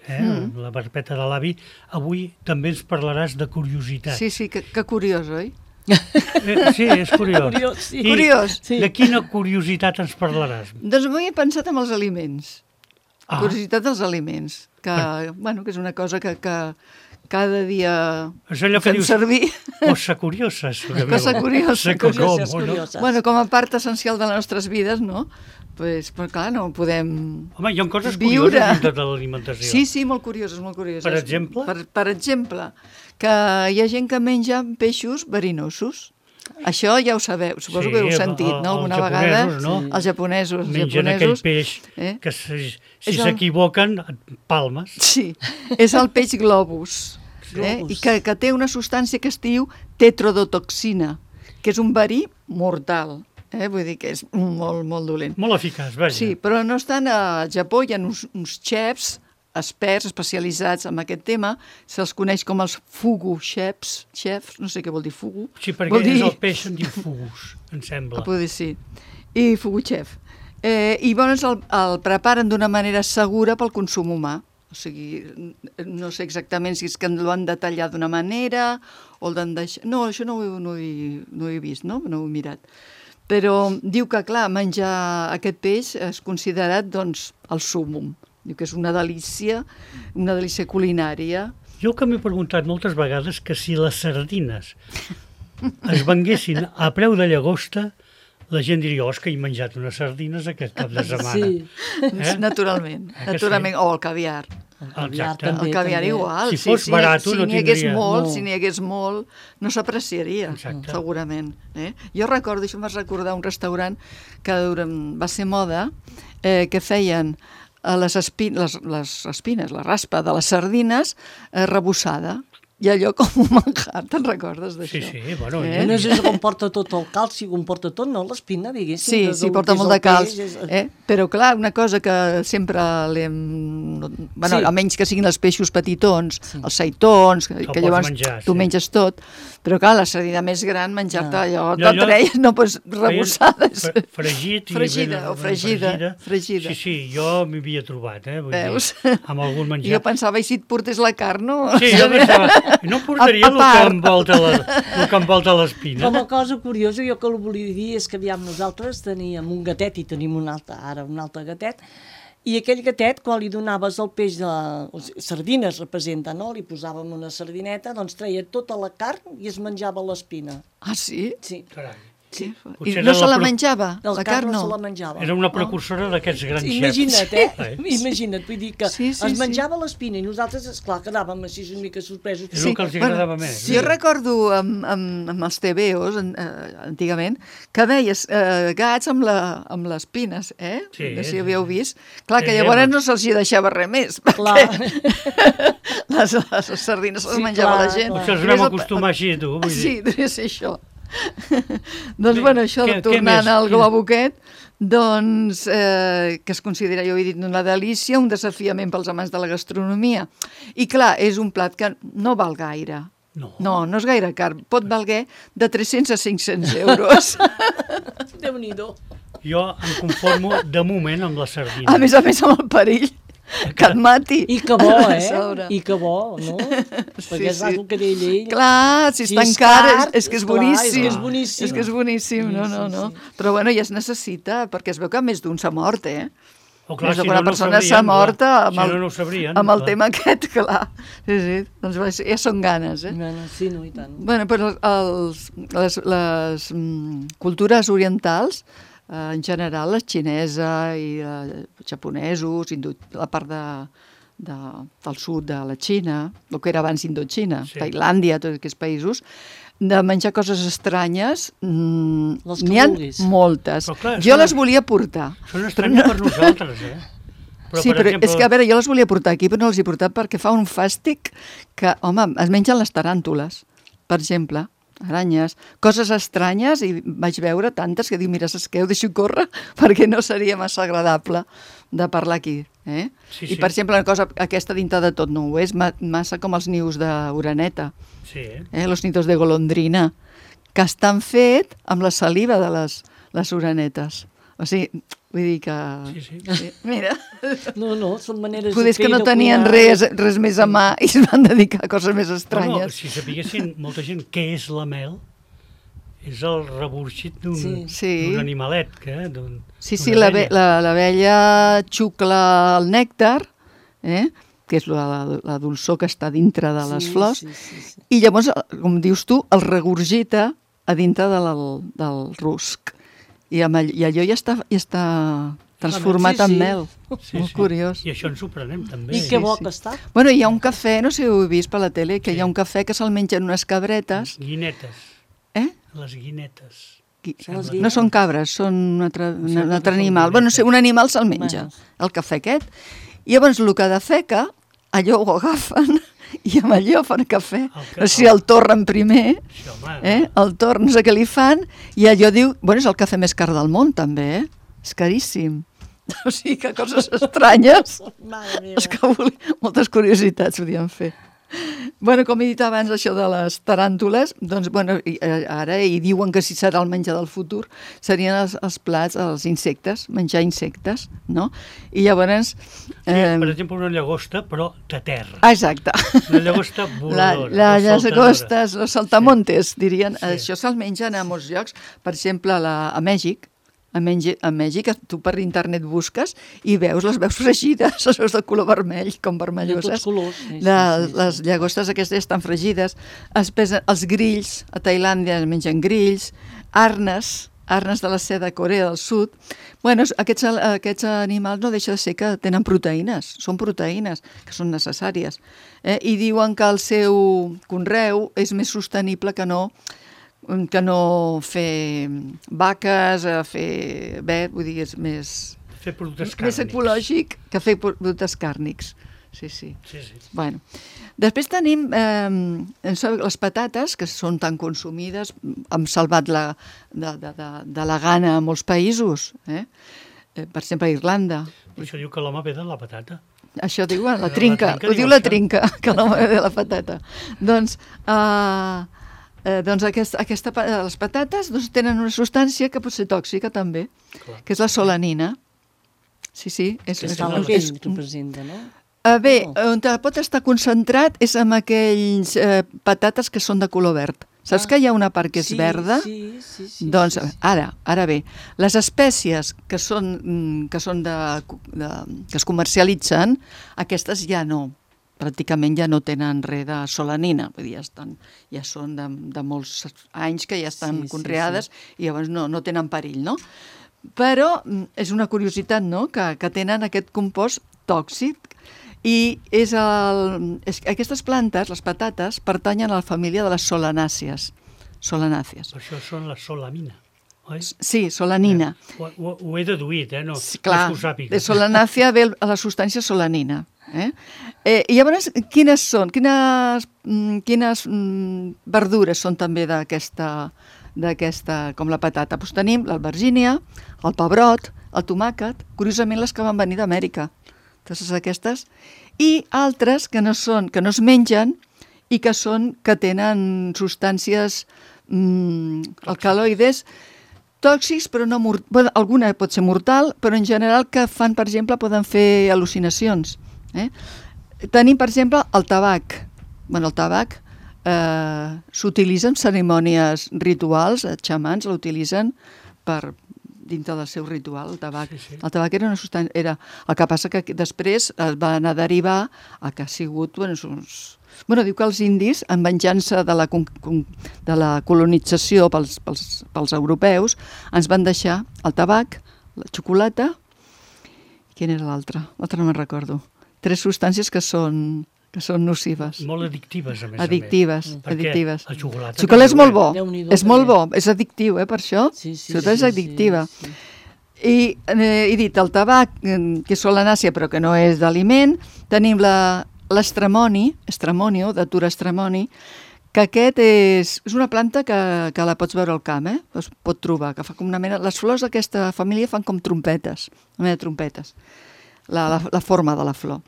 eh, mm. la Perpeta de l'Avi, avui també ens parlaràs de curiositat. Sí, sí, que, que curiós, oi? Eh, sí, és curiós. Curiós, sí. I Curiós. Sí. de quina curiositat ens parlaràs? Doncs avui he pensat en els aliments. Ah. Curiositat dels aliments, que, bueno, que és una cosa que, que cada dia És allò que fem dius, servir. cosa curiosa. Cosa Cosa curiosa, curioses, com, no? curioses. Bueno, com a part essencial de les nostres vides, no? Pues, però clar, no podem... Home, hi ha coses Viure. curioses dintre de l'alimentació. Sí, sí, molt curioses, molt curioses. Per exemple? Per, per exemple, que hi ha gent que menja peixos verinosos. Això ja ho sabeu, suposo Sí, que heu el- sentit, el- no? Alguna els vegada. japonesos, no? Els japonesos. Els Mengen aquell japonesos, peix eh? que si És si el- s'equivoquen, et palmes. Sí, és el peix globus. Eh? Globus. I que, que té una substància que es diu tetrodotoxina, que és un verí mortal. Eh? Vull dir que és molt, molt dolent. Molt eficaç, vaja. Sí, però no estan al Japó, hi ha uns, uns xefs experts especialitzats en aquest tema, se'ls coneix com els fugu chefs, chefs, no sé què vol dir fugu. Sí, perquè vol dir... és el peix, en diu fugus, em sembla. Ah, poder sí. I fugu chef. Eh, I llavors el, el preparen d'una manera segura pel consum humà. O sigui, no sé exactament si és que l'han de tallar d'una manera o el d'han deixat... No, això no ho, he- no, ho he, no ho he vist, no? No ho he mirat. Però diu que, clar, menjar aquest peix és considerat, doncs, el súmum. Diu que és una delícia, una delícia culinària. Jo que m'he preguntat moltes vegades que si les sardines es venguessin a preu de llagosta, la gent diria, oh, és que he menjat unes sardines aquest cap de setmana. Sí. Eh? Naturalment, Eh que naturalment. O el caviar. El caviar Exacte. també. El caviar també. igual. Si sí, fos sí, barat, si no n'hi hagués tindria. molt, No. si n'hi hagués molt, no s'apreciaria, Exacte. segurament. Eh? Jo recordo, això em vas recordar un restaurant que durant, va ser moda, eh, que feien eh, les, espi les, les espines, la raspa de les sardines eh, rebossada. I allò com un manjar, te'n recordes d'això? Sí, sí, bueno, Eh? No sé si comporta tot el calci, comporta tot, no? L'espina, diguéssim. Sí, de- sí, del porta que és molt el de calç, peix, és- eh? Però clar, una cosa que sempre l'hem... Bueno, Sí. a menys que siguin els peixos petitons, Sí. els seitons, que, Que que pots llavors menjar, tu sí. menges tot, però clar, la sardina més gran, menjar-te Ah. allò, No, no, allò- treia, no, pues, rebossada. Feien fre- Fregit i Fregida, ben- o ben fregida, fregida. Sí, sí, jo m'hi havia trobat, eh? Vull Veus? dir, amb algun menjar. Jo pensava, i si et portés la carn, no? Sí, jo pensava, no portaria A- a el que part. envolta la- el que envolta l'espina. Com a cosa curiosa, jo que el volia dir és que aviam nosaltres teníem un gatet i tenim un altre, ara un altre gatet, i aquell gatet, quan li donaves el peix de... O sigui, sardines representa, no? Li posàvem una sardineta, doncs treia tota la carn i es menjava l'espina. Ah, sí? Sí. Carai. Sí. Potser I era no se la pro- menjava, El la carn carn no se no? la menjava. Era una precursora d'aquests grans xefs. Imagina't, eh? Eh? Imagina't, vull dir que Sí, sí, es sí. menjava l'espina i nosaltres, esclar, quedàvem així una mica sorpresos. És el que els agradava més. Sí, jo recordo amb, amb, amb els T V Os, en, eh, antigament, que veies eh, gats amb, la, amb les pines, eh? Sí, no sé si sí, havíeu sí. vist. Clar, que Sí, llavors home. no se'ls hi deixava res més, Clar. perquè les, les sardines se les Sí, menjava clar, la gent. clar. Potser els Devia vam ser- acostumar així, tu. Vull dir. Sí, devia ser això. doncs, Bé, bueno, això, què- què tornant més? al Quina- globo aquest, doncs, eh, que es considera, jo he dit, una delícia, un desafiament pels amants de la gastronomia. I clar, és un plat que no val gaire. No. No, no és gaire car. Pot valer de tres-cents a cinc-cents euros. Déu-n'hi-do. Jo em conformo de moment amb la sardina. A més a més, amb el perill que et mati. I que bo, A eh? sobre. I que bo, no? Perquè és el que deia ell. Clar, si Si està és encara, car, és, és que és esclar, boníssim. és que és boníssim. És que és boníssim, no, Sí, no, sí, no. sí. Però bueno, ja es necessita, perquè es veu que més d'un s'ha mort, eh? O clar, Més si d'alguna no, no ho persona s'ha sabrien, mort clar. amb Si el, no, no ho sabrien. amb el clar. tema aquest, clar. Sí, sí, doncs va ser- ja són ganes, eh? Bueno, sí, no, i tant. Bueno, però els, les, les mm, cultures orientals, eh, en general, la xinesa i eh, japonesos, hindú, la part de, de, del sud de la Xina, el que era abans Indoxina, Sí. Tailàndia, tots aquests països, de menjar coses estranyes, mm, Les que n'hi ha vulguis. moltes. Però clar, jo són- les volia portar. Són estranyes per nosaltres, eh? sí, per però exemple, és que, a veure, jo les volia portar aquí, però no les he portat perquè fa un fàstic que, home, es mengen les taràntules, per exemple, aranyes, coses estranyes, i vaig veure tantes que dic, mira, saps què, ho deixo córrer perquè no seria massa agradable de parlar aquí. Eh? Sí, I, sí. per exemple, una cosa, aquesta dintre de tot no ho és, ma massa com els nius d'oreneta, Sí, eh? eh? los nidos de golondrina, que estan fet amb la saliva de les, les orenetes. O sigui, vull dir que... Sí, sí. Sí, mira... No, no, són maneres Poder de és fer que i no de tenien cuinar. res, res més a mà i es van dedicar a coses més Bueno, estranyes. si sapiguessin molta gent què és la mel, és el reburxit d'un Sí. Sí. d'un animalet. Que, d'un, Sí, d'una sí, la abella. ve- la- l'abella xucla el nèctar, eh? que és la, la dolçor que està dintre de les Sí, flors, sí, sí, sí. i llavors, com dius tu, el regurgita a dintre de la, del rusc. I, amb all, I allò ja està, ja està transformat Sí, sí. en mel. Sí, Molt sí. curiós. I això ens ho prenem, també. I que bo sí. que està. Bueno, hi ha un cafè, no sé si ho heu vist per la tele, que hi ha un cafè que se'l mengen unes cabretes. Guinetes. Eh? Les guinetes. Qui- Són les No guinetes. són cabres, són un altre, un, Sembla un que altre són animal. Bueno, no sé, un animal se'l menja, Bueno. el cafè aquest. I llavors el que defeca, allò ho agafen i amb allò fan cafè. El ca- No sé si el torren primer, Sí, home. eh? el torn, no sé què li fan, i allò diu... Bueno, és el cafè més car del món, també, eh? És caríssim. O sigui que coses estranyes, Mare meva. és que volia, moltes curiositats podien fer. Bueno, com he dit abans, això de les taràntules, doncs, bueno, i, eh, ara hi diuen que si serà el menjar del futur, serien els, els plats, els insectes, menjar insectes, no? I llavors... Sí, Eh, per exemple, una llagosta, però de terra. ah, exacte. Una llagosta La, voladora. la, o les saltadora. agostes, los saltamontes, dirien. Sí. Això se'l mengen a molts llocs. Per exemple, a, la, a Mèxic, a, Mengi, a Mèxic, tu per internet busques i veus, les veus fregides, les veus de color vermell, com De vermelloses. tots colors. Sí, sí, De, sí, sí. les llagostes aquestes estan fregides. Es pesen, els grills, a Tailàndia es mengen grills, arnes, arnes de la seda de Corea del Sud. Bueno, aquests, aquests animals no deixa de ser que tenen proteïnes, són proteïnes que són necessàries. Eh? I diuen que el seu conreu és més sostenible que no que no fer vaques, fer vet, vull dir, és més, Fer productes més càrnics. ecològic que fer productes càrnics. Sí, sí. Sí, sí. Bueno. Després tenim eh, les patates, que són tan consumides, hem salvat la, de, de, de, de la gana a molts països, eh? Eh, per exemple a Irlanda. Per això diu que l'home ve de la patata. Això diu la La trinca, trinca ho diu diu la això. trinca, que l'home ve de la patata. Doncs, eh, eh, doncs aquest, aquesta, pa- les patates doncs, tenen una substància que pot ser tòxica també, Clar. que és la solanina. Sí, sí. És, Que és, està la és, pell, representa, no? Uh, bé, No. on pot estar concentrat és en aquells eh, patates que són de color verd. Saps Ah. que hi ha una part que és Sí, verda? sí, sí, sí, Doncs sí, sí. ara, ara bé, les espècies que són, mm, que, són de, de, que es comercialitzen, aquestes ja no, pràcticament ja no tenen res de solanina, vull dir, ja, estan, ja són de, de molts anys que ja estan Sí, sí, conreades i llavors no, no tenen perill, no? Però mm, és una curiositat, no?, que, que tenen aquest compost tòxic i és el, és, aquestes plantes, les patates, pertanyen a la família de les solanàcies. Solanàcies. Per això són la solamina, oi? Sí, solanina. Ho, ho, ho he deduït, eh? No, Sí, no clar, és que ho sàpiga. de solanàcia ve a la substància solanina. Eh? Eh, I llavors, quines són? Quines, mm, quines mm, verdures són també d'aquesta, d'aquesta, com la patata? Doncs tenim l'albergínia, el pebrot, el tomàquet, curiosament les que van venir d'Amèrica. Totes aquestes. I altres que no són, que no es mengen i que són, que tenen substàncies mm, alcaloides tòxics, però no mort... bueno, alguna pot ser mortal, però en general que fan, per exemple, poden fer al·lucinacions. Eh? Tenim, per exemple, el tabac. Bueno, el tabac eh, s'utilitza en cerimònies rituals, els xamans l'utilitzen per dintre del seu ritual, el tabac. Sí, sí. El tabac era una substància... Era... El que passa que després es va anar a derivar a que ha sigut... Bueno, uns... bueno, diu que els indis, en venjança de la, con- con- de la colonització pels, pels, pels europeus, ens van deixar el tabac, la xocolata... Quin era l'altre? L'altre no me'n recordo. Tres substàncies que són, que són nocives. Molt addictives, a més Addictives, a més. Perquè addictives. el xocolata... El xocolata és molt bo, Déu-n'hi-do, és molt bo, també. és addictiu, eh, per això. Sí, sí, Sobretot és sí, addictiva. sí, sí. I eh, he dit el tabac, eh, que és solanàcia però que no és d'aliment. Tenim la- l'estramoni, estremonio, de Tura estramoni, que aquest és, és una planta que, que la pots veure al camp, eh? Es pot trobar, que fa com una mena... Les flors d'aquesta família fan com trompetes, una mena de trompetes, la, la, la forma de la flor.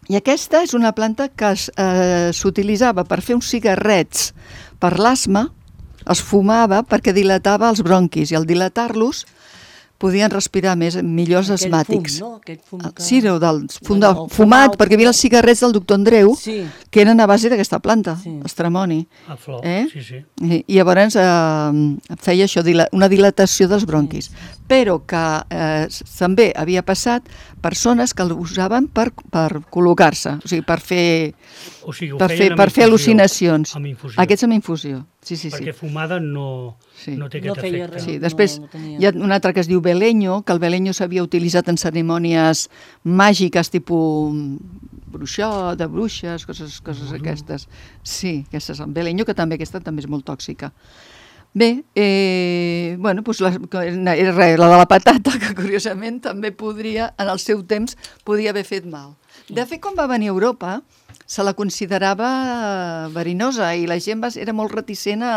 I aquesta és una planta que es, eh, s'utilitzava per fer uns cigarrets per l'asma, es fumava perquè dilatava els bronquis i al dilatar-los podien respirar més, millors Aquell asmàtics. Fum, no? Aquell fum que... Sí, del, del fum Bueno, de, el fumat, fumat, perquè hi havia els cigarrets del doctor Andreu, Sí, que eren a base d'aquesta planta, Sí. estramoni. A flor, Eh? sí, sí. I, i llavors eh, feia això, dila- una dilatació dels bronquis. Però que eh, s- també havia passat persones que l'usaven per, per col·locar-se, o sigui, per fer, O sigui, ho per feien fer, amb per fer infusió, al·lucinacions. Amb infusió. Aquests amb infusió, sí, sí, sí. Perquè fumada no, Sí. no té No aquest feia efecte. res. Sí, no, després no tenia. hi ha un altre que es diu beleño, que el beleño s'havia utilitzat en cerimònies màgiques, tipus bruixó, de bruixes, coses, coses aquestes. Sí, aquestes, el beleño, que també aquesta també és molt tòxica. Bé, eh, bueno, doncs la, era res, la de la patata, que curiosament també podria, en el seu temps, podia haver fet mal. De fet, quan va venir a Europa, se la considerava verinosa i la gent va, era molt reticent a,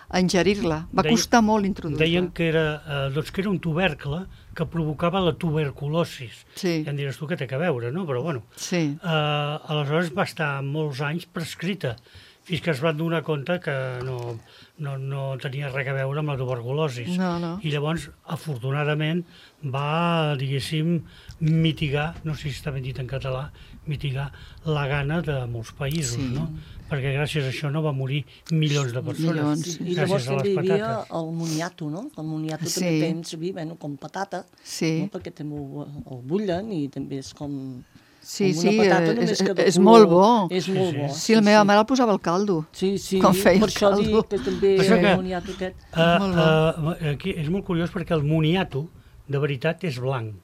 a ingerir-la. Va Deien- costar molt introduir-la. Deien que era, eh, doncs que era un tubercle que provocava la tuberculosis. Sí. Ja em diràs tu què té que veure, no? Però bueno, Sí. eh, aleshores va estar molts anys prescrita, fins que es van donar compte que no, no, no tenia res a veure amb la tuberculosis. No, no. I llavors, afortunadament, va, diguéssim, mitigar, no sé si està ben dit en català, mitigar la gana de molts països, Sí. no? Perquè gràcies a això no va morir milions de persones. Milions. Sí, Sí. I llavors gràcies a les també hi havia patates. el moniato, no? El moniato Sí. també feien servir, bueno, com patata, Sí. no? Perquè també ho, el bullen i també és com... Sí, Amb sí, una patata eh, només és, cada és color. molt bo. És molt bo. Sí, la meva mare el posava al caldo. Sí, sí, quan feia per el això caldo. dic que també Això que- el moniato aquest. Uh, Molt bo. uh, aquí és molt curiós perquè el moniato, de veritat, és blanc.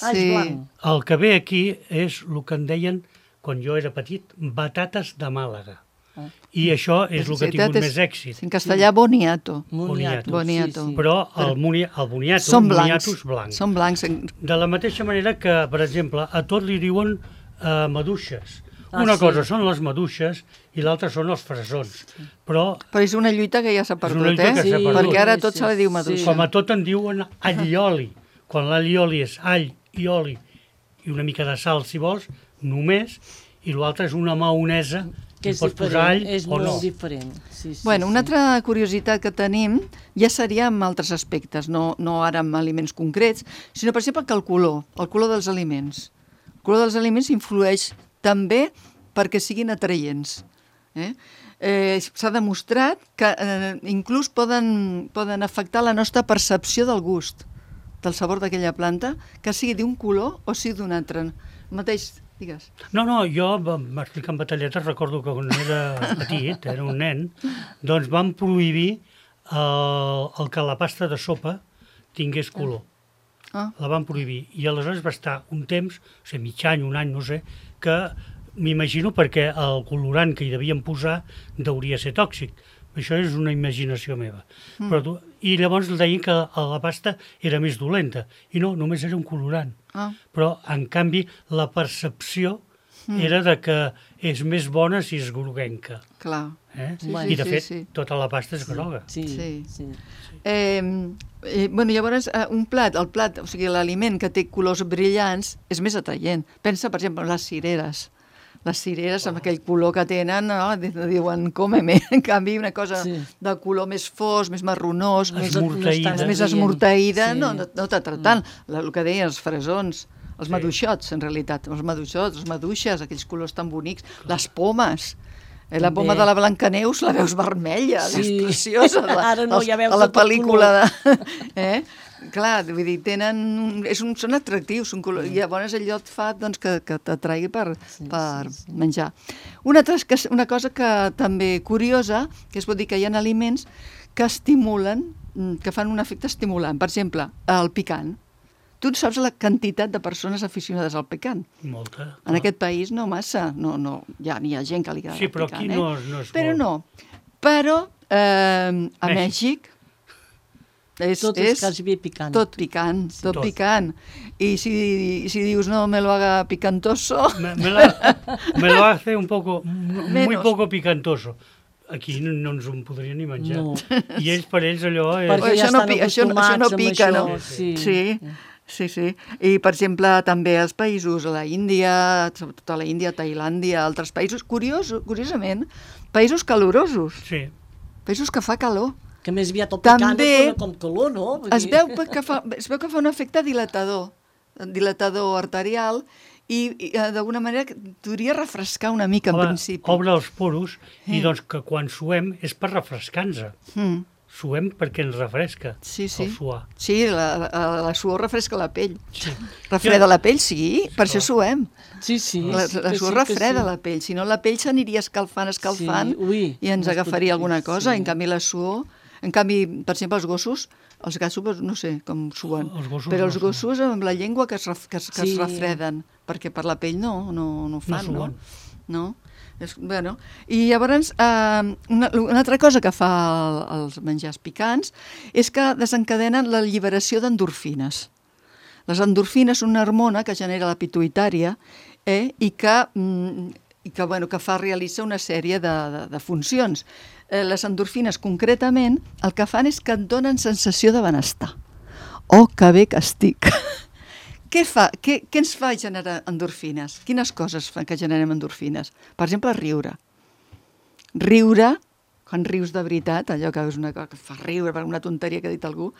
Ah, és blanc. El que ve aquí és el que en deien, quan jo era petit, batates de Màlaga. Ah. I això és el que ha tingut és- més èxit. En castellà, boniato. Moniato, Boniato. sí, sí. Però el, moni, el boniato, Són el blancs. moniato és blanc. Són blancs. De la mateixa manera que, per exemple, a tot li diuen uh, maduixes. Ah, Una sí. cosa són les maduixes i l'altra són els fresons. Però, Però és una lluita que ja s'ha una perdut, lluita eh? que s'ha perdut. Perquè ara Sí, tot sí, se li diu sí. maduixa. com a tot en diuen all i oli. Quan l'all i oli és all i oli i una mica de sal, si vols, només, i l'altre és una maonesa Que i és pots posar all diferent, és o molt no. diferent. Sí, sí, Bueno, sí. una altra curiositat que tenim ja seria amb altres aspectes, no, no ara amb aliments concrets, sinó, per exemple, que el color, el color dels aliments. El color dels aliments influeix també perquè siguin atraients. Eh? Eh, S'ha demostrat que eh, inclús poden, poden afectar la nostra percepció del gust, del sabor d'aquella planta, que sigui d'un color o sigui d'un altre. El mateix, digues. No, no, jo m'explicant batalletes, recordo que quan era petit, era un nen, doncs van prohibir el, el que la pasta de sopa tingués color. Ah. La van prohibir. I aleshores va estar un temps, o sigui, mig any, un any, no sé, que m'imagino perquè el colorant que hi devien posar deuria ser tòxic. Això és una imaginació meva. Mm. Però tu, I llavors deien que la pasta era més dolenta. I no, només era un colorant. Ah. Però, en canvi, la percepció mm. era de que és més bona si és groguenca. Clar. Eh? Sí, Bueno, I, de sí, fet, sí. tota la pasta és groga. Sí, Sí. sí. Eh, eh, bueno, llavors, eh, un plat, el plat, o sigui, l'aliment que té colors brillants és més atraient. Pensa, per exemple, en les cireres. Les cireres, amb aquell color que tenen, no? diuen, cómeme. En canvi, una cosa Sí. de color més fos, més marronós, No més, és- no és tan Esmorteïda. més atraient. esmorteïda, Sí. no, no, no t'atrau tant. La, el que deien, els fresons, els maduixots, en realitat, els maduixots, les maduixes, aquells colors tan bonics, les pomes. Eh, la També. poma de la Blancaneus la veus vermella, Sí. és preciosa. La, Ara no, els- ja veus a la de tot pel·lícula de... Eh? Clar, vull dir, tenen... un- És un, són atractius, són color, i llavors allò et fa doncs, que, que t'atraigui per, Sí, per sí, sí. menjar. Una, altra, que, una cosa que també curiosa, que es pot dir que hi ha aliments que estimulen, mm, que fan un efecte estimulant. Per exemple, el picant. Tu saps la quantitat de persones aficionades al picant? Molta. En aquest país no massa, no, no, ja n'hi ha gent que li agrada Sí, però el picant, aquí eh? no, no és Però molt. no. Però eh, a Mèxic. Mèxic és, Tot és és quasi bé picant. tot picant, tot, Tot. picant. I si, si dius no me lo haga picantoso, Me, me, la, me lo hace un poco, muy Menos. poco picantoso. Aquí no, no ens ho podrien ni menjar. No. I ells, per ells, allò és... Perquè això ja no estan pi- això no- això no acostumats amb pica, això, no? Sí. sí, sí, sí. I, per exemple, també als països, a la Índia, sobretot a la Índia, Tailàndia, altres països, curiós, curiosament, països calorosos, Sí. països que fa calor. Que més aviat el picant També et dona com calor, no? Vull Es dir- veu que fa, es veu que fa un efecte dilatador, dilatador arterial, i, i eh, d'alguna manera podria refrescar una mica en Home, principi. obre els poros i doncs que quan suem és per refrescar-nos. Mm. Suem perquè ens refresca Sí, sí. el suar. Sí, la, la, la suor refresca la pell. Sí. Refreda la pell, sí, per això suem. Sí, sí. La, la que suor sí, que refreda sí. la pell, si no la pell s'aniria escalfant, escalfant, Sí, ui, i ens no es agafaria pot- alguna cosa. sí. En canvi, la suor... En canvi, per exemple, els gossos, els gats, no sé com suen, Els gossos però no els suen. gossos amb la llengua que es, ref, que es, que es Sí. refreden, perquè per la pell no, no, no ho fan, no? suen. no? És, bueno. I llavors, eh, una, una altra cosa que fa el, els menjars picants és que desencadenen l'alliberació d'endorfines. Les endorfines són una hormona que genera la pituïtària eh, i que, mm, i que, bueno, que fa realitzar una sèrie de, de, de funcions. Eh, les endorfines, concretament, el que fan és que et donen sensació de benestar. Oh, que bé que estic! Què, fa, què, què ens fa generar endorfines? Quines coses fan que generem endorfines? Per exemple, riure. Riure, quan rius de veritat, allò que és una cosa que fa riure per una tonteria que ha dit algú,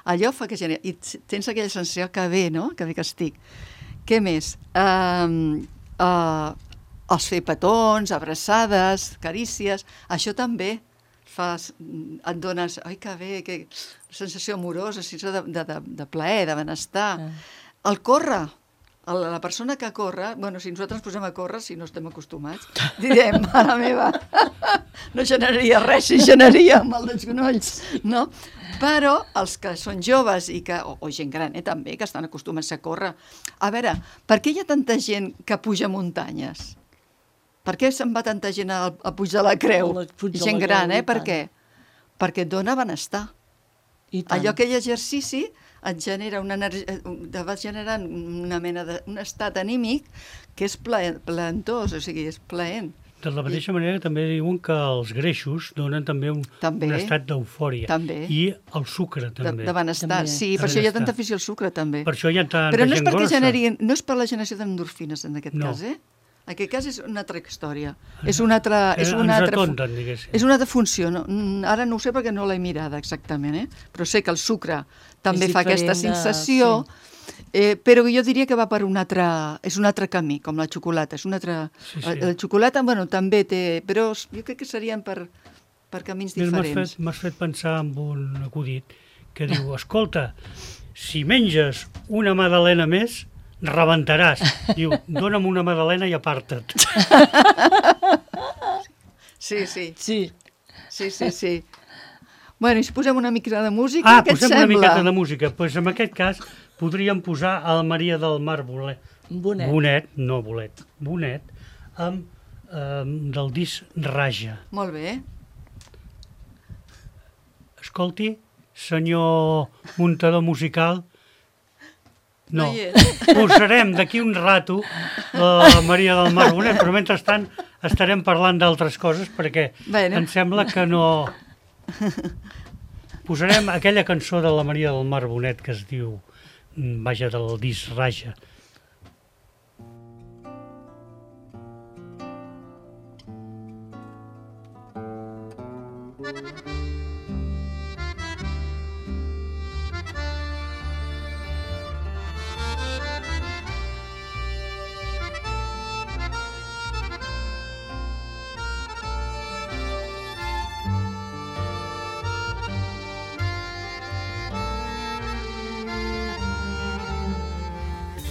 allò fa que genera... I tens aquella sensació que bé, no?, que bé que estic. Què més? Uh, uh, els fer petons, abraçades, carícies, això també fas, et dones, ai que bé, que sensació amorosa, sensació de, de, de, de plaer, de benestar. Ah. El córrer, el- la persona que corre, bueno, si nosaltres ens posem a córrer, si no estem acostumats, direm, mare meva, no generaria res si generaria mal dels gonolls, no? Però els que són joves i que, o, o gent gran, eh, també, que estan acostumats a córrer, a veure, per què hi ha tanta gent que puja muntanyes? Per què se'n va tanta gent a, a pujar la creu? A la- pujar Gent la gran, creu, eh? i Per tant. què? Perquè et dona benestar. I tant. Allò, aquell exercici et genera una energia, te va generant una mena de, un estat anímic que és plaent, plaentós, o sigui, és plaent. De la mateixa manera també diuen que els greixos donen també un, També. un estat d'eufòria. També. I el sucre De, també. de benestar, També. sí, De per això hi ha benestar. tanta afició al sucre, també. Per això hi ha tanta Però no és gent perquè grossa. generin, no és per la generació d'endorfines en aquest No. cas, eh? En aquest cas és una altra història. És una altra... És Eh, una ens altra fu- atonten, diguéssim. És una altra funció. No? Mm, Ara no ho sé perquè no l'he mirada exactament, eh? Però sé que el sucre també És fa aquesta diferent de- sensació, eh, però jo diria que va per un altre... És un altre camí, com la xocolata. És un altre... Sí, sí. La, la xocolata, bueno, també té... Però jo crec que serien per, per camins Mira, m'has diferents. fet, m'has fet pensar en un acudit que diu, escolta, si menges una magdalena més, rebentaràs. Diu, dona'm una magdalena i aparta't. Sí, sí, Sí, sí, sí, sí. Bueno, i si posem una mica de música, Ah, què et posem sembla? una miqueta de música. Doncs pues en aquest cas podríem posar el Maria del Mar Bolet. Bonet. Bonet, no bolet, Bonet, amb, eh, del disc Raja. Molt bé. Escolti, senyor muntador musical, no, No hi és. posarem d'aquí un rato la Maria del Mar Bonet, però mentrestant estarem parlant d'altres coses perquè Bueno. em sembla que no... Posarem aquella cançó de la Maria del Mar Bonet que es diu, mm, vaja, del disc Raja.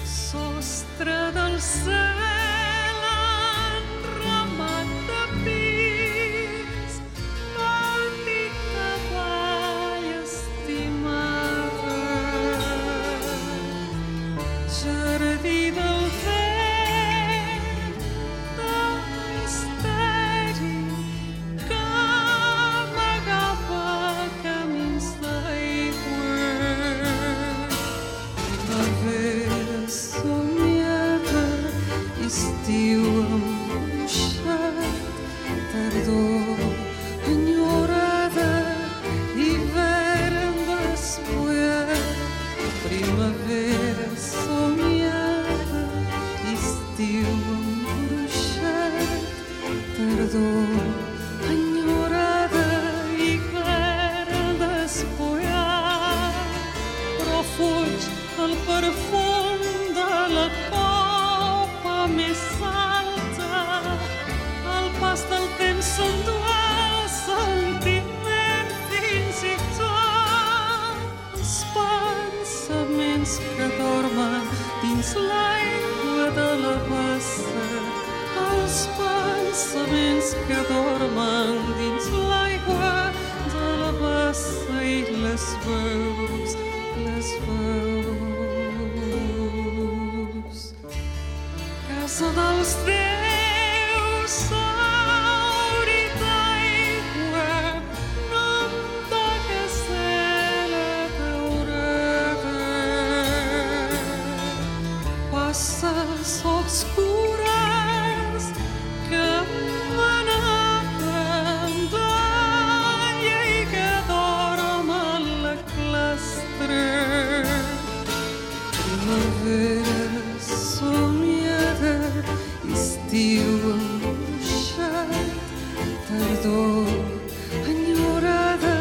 Sostre del cel enramat de pins, petita vall estimada, jardí del vent de misteri que amagava camins d'aigua. Primavera somiada, estiu embruixat, tardor enyorada, hivern despullat. Primavera somiada, estiu embruixat, tardor enyorada, hivern despullat. Però fuig el perfum de la copa més alta, el pas del temps s'endú el sentiment fins i tot els pensaments que dormen dins l'aigua de la bassa, els pensaments que dormen dins l'aigua de la bassa i les veus, les veus. Casa dels déus, saurit d'aigua, nom de casella daurada. Passes obscures que m'anaven d'alla i que dorm a la clastra. Primavera somiada, estiu embruixat, tardor enyorada,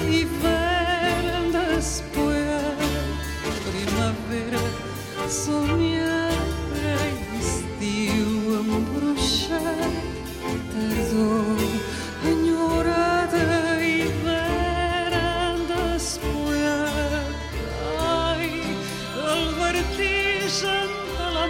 hivern despullat. Primavera somiada, estiu embruixat, tardor enyorada, hivern despullat. Ai, el vertigen de la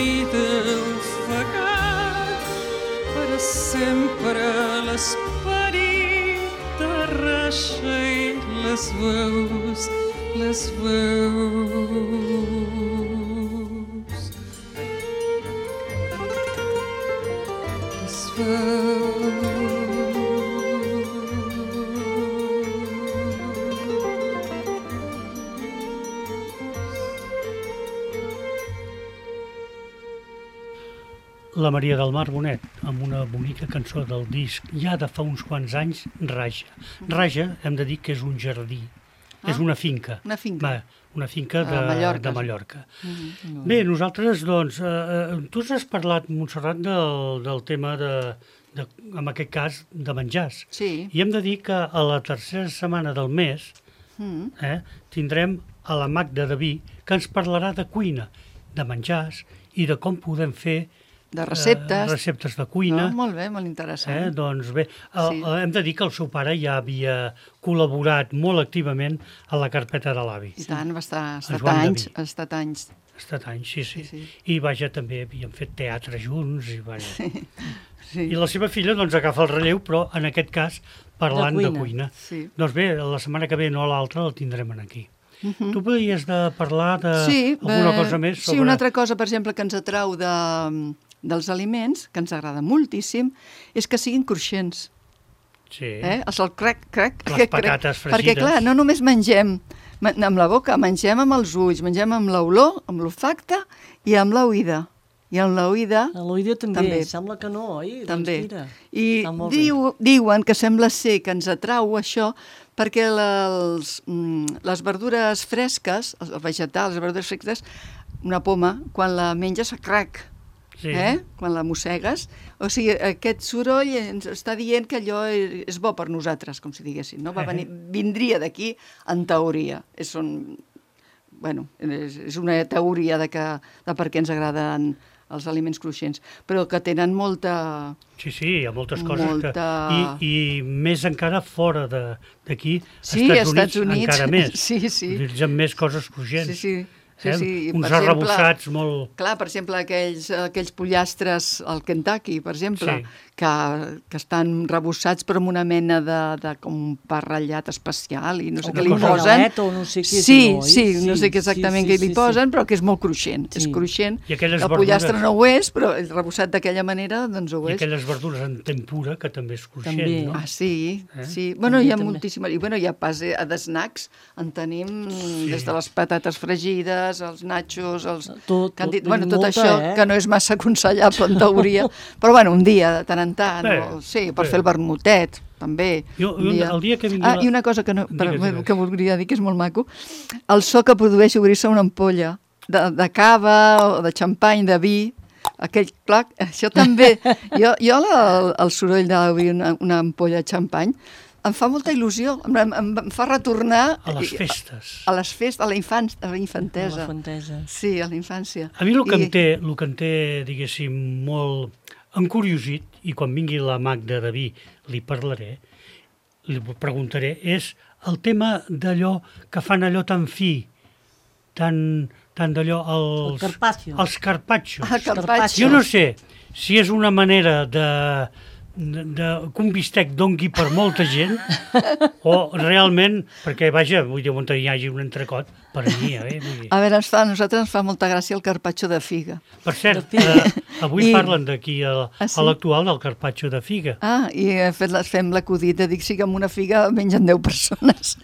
vida ofegat, per sempre l'esperit t'arraixa i les veus, les veus. Les veus. La Maria del Mar Bonet, amb una bonica cançó del disc ja de fa uns quants anys, Raja. Raja, hem de dir que és un jardí, ah, és una finca. Una finca. Va, una finca de, a Mallorca. de Mallorca. Mm-hmm. Bé, nosaltres, doncs, eh, tu has parlat, Montserrat, del, del tema de, de, en aquest cas, de menjars. Sí. I hem de dir que a la tercera setmana del mes Mm. eh, tindrem a la Magda de Vi, que ens parlarà de cuina, de menjars i de com podem fer De receptes. Eh, receptes de cuina. No, molt bé, molt interessant. Eh, doncs bé, el, Sí. hem de dir que el seu pare ja havia col·laborat molt activament a la carpeta de l'avi. I tant, va estar, ha estat Joan de anys, Vi. ha estat anys. Ha estat anys, sí, sí. Sí, sí. I vaja, també havien fet teatre junts. I, vaja. Sí. I la seva filla doncs agafa el relleu, però en aquest cas parlant de De cuina. cuina. Sí. Doncs bé, la setmana que ve, no l'altra, el tindrem aquí. Uh-huh. Tu podries de parlar de Sí, alguna eh, cosa més sobre... Sí, una altra cosa, per exemple, que ens atrau de, dels aliments, que ens agrada moltíssim, és que siguin cruixents. Sí. Eh? El sol crec, crec, Les crec, patates crec. Perquè, fregides. clar, no només mengem ma- amb la boca, mengem amb els ulls, mengem amb l'olor, amb l'olfacte i amb l'oïda. I amb l'oïda A l'oïda també. També. Sembla que no, oi? també. Doncs mira, I està molt bé. diu, diuen que sembla ser que ens atrau això perquè les, mm, les verdures fresques, els vegetals, les verdures fresques, una poma, quan la menges, crac, Sí. eh? Quan la mossegues. O sigui, aquest soroll ens està dient que allò és, és bo per nosaltres, com si diguéssim, no? Va venir, vindria d'aquí, en teoria. És, un, bueno, és, és una teoria de, que, de per què ens agraden els aliments cruixents, però que tenen molta... Sí, sí, hi ha moltes coses Molta- que... I, i més encara fora de- d'aquí, Sí, als als Estats, Estats Units. encara més. Sí, sí. Utilitzen més coses cruixents. Sí, sí. Sí, eh? sí. I, Uns per exemple, arrebossats molt... Clar, per exemple, aquells, aquells pollastres al Kentucky, per exemple, Sí. que, que estan rebossats però amb una mena de, de com un pa ratllat especial i no sé O què una li cosa- posen. o no sé què és sí, allò, oi? sí, no Sí, sé què exactament sí, què sí, li sí, posen, sí. però que és molt cruixent. És Sí. cruixent. I aquelles El pollastre verdures- no ho és, però el rebossat d'aquella manera doncs ho I és. aquelles verdures en tempura, que també és cruixent, També. no? Ah, sí, Eh? sí. Bueno, També, hi ha també. moltíssimes... I bueno, hi ha pas eh, de snacks, en tenim Sí. des de les patates fregides, els nachos, els... Tot, que han dit, tot, bueno, tot molta, això, eh? que no és massa aconsellable en teoria, però bueno, un dia, de tant en tant, Bé, o, sí, per bé. fer el vermutet, també. Jo- jo un- el dia que vingui Ah, la- i una cosa que, no, per, Digues, digues. que voldria dir que és molt maco, el so que produeix obrir-se una ampolla de, de cava o de xampany, de vi, aquell clac, això també. Jo, jo la, el, el soroll d'obrir una, una ampolla de xampany em fa molta il·lusió, em, em, em fa retornar A les i- festes. a les festes, a la, infan, a la infantesa. La fantesa. Sí, a la infància. A mi el que, I- em té, el que em té, diguéssim, molt encuriosit, i quan vingui la Magda de Vi li parlaré, li preguntaré, és el tema d'allò que fan allò tan fi, tan, tan d'allò... Els, El carpaccio. Els carpaccios. Ah, carpaccio. Jo no sé si és una manera de, de, de que un bistec dongui per molta gent o realment, perquè vaja, vull dir, on hi hagi un entrecot, per mi, eh? Vull dir. A veure, ens fa, a nosaltres ens fa molta gràcia el carpaccio de figa. Per cert, eh, avui I- parlen d'aquí a, Ah, sí? a l'actual del carpaccio de figa. Ah, i he fet, la- fem l'acudit de dir que sí que amb una figa mengen deu persones.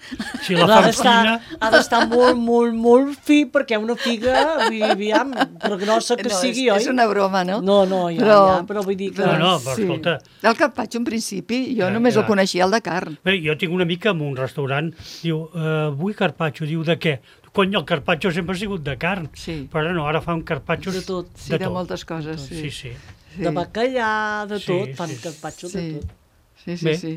Si la Però ha fan d'estar fina... ha d'estar molt, molt, molt fi, perquè una figa, vull dir, aviam, però grossa que no, sigui, és, oi? és una broma, no? No, no, ja, Però- ja, però vull dir que... No, no, però escolta. El carpaccio, en principi, jo Ja, només ja. el coneixia, el de carn. Bé, jo tinc una mica en un restaurant, diu, uh, vull carpaccio, diu, de què? Cony, el carpaccio sempre ha sigut de carn, Sí. però no, ara fan carpaccios De tot. Sí, de, moltes coses, sí. Sí, sí. sí. De bacallà, de Sí, tot, fan sí. carpaccio Sí, de tot. sí, sí. Bé. sí.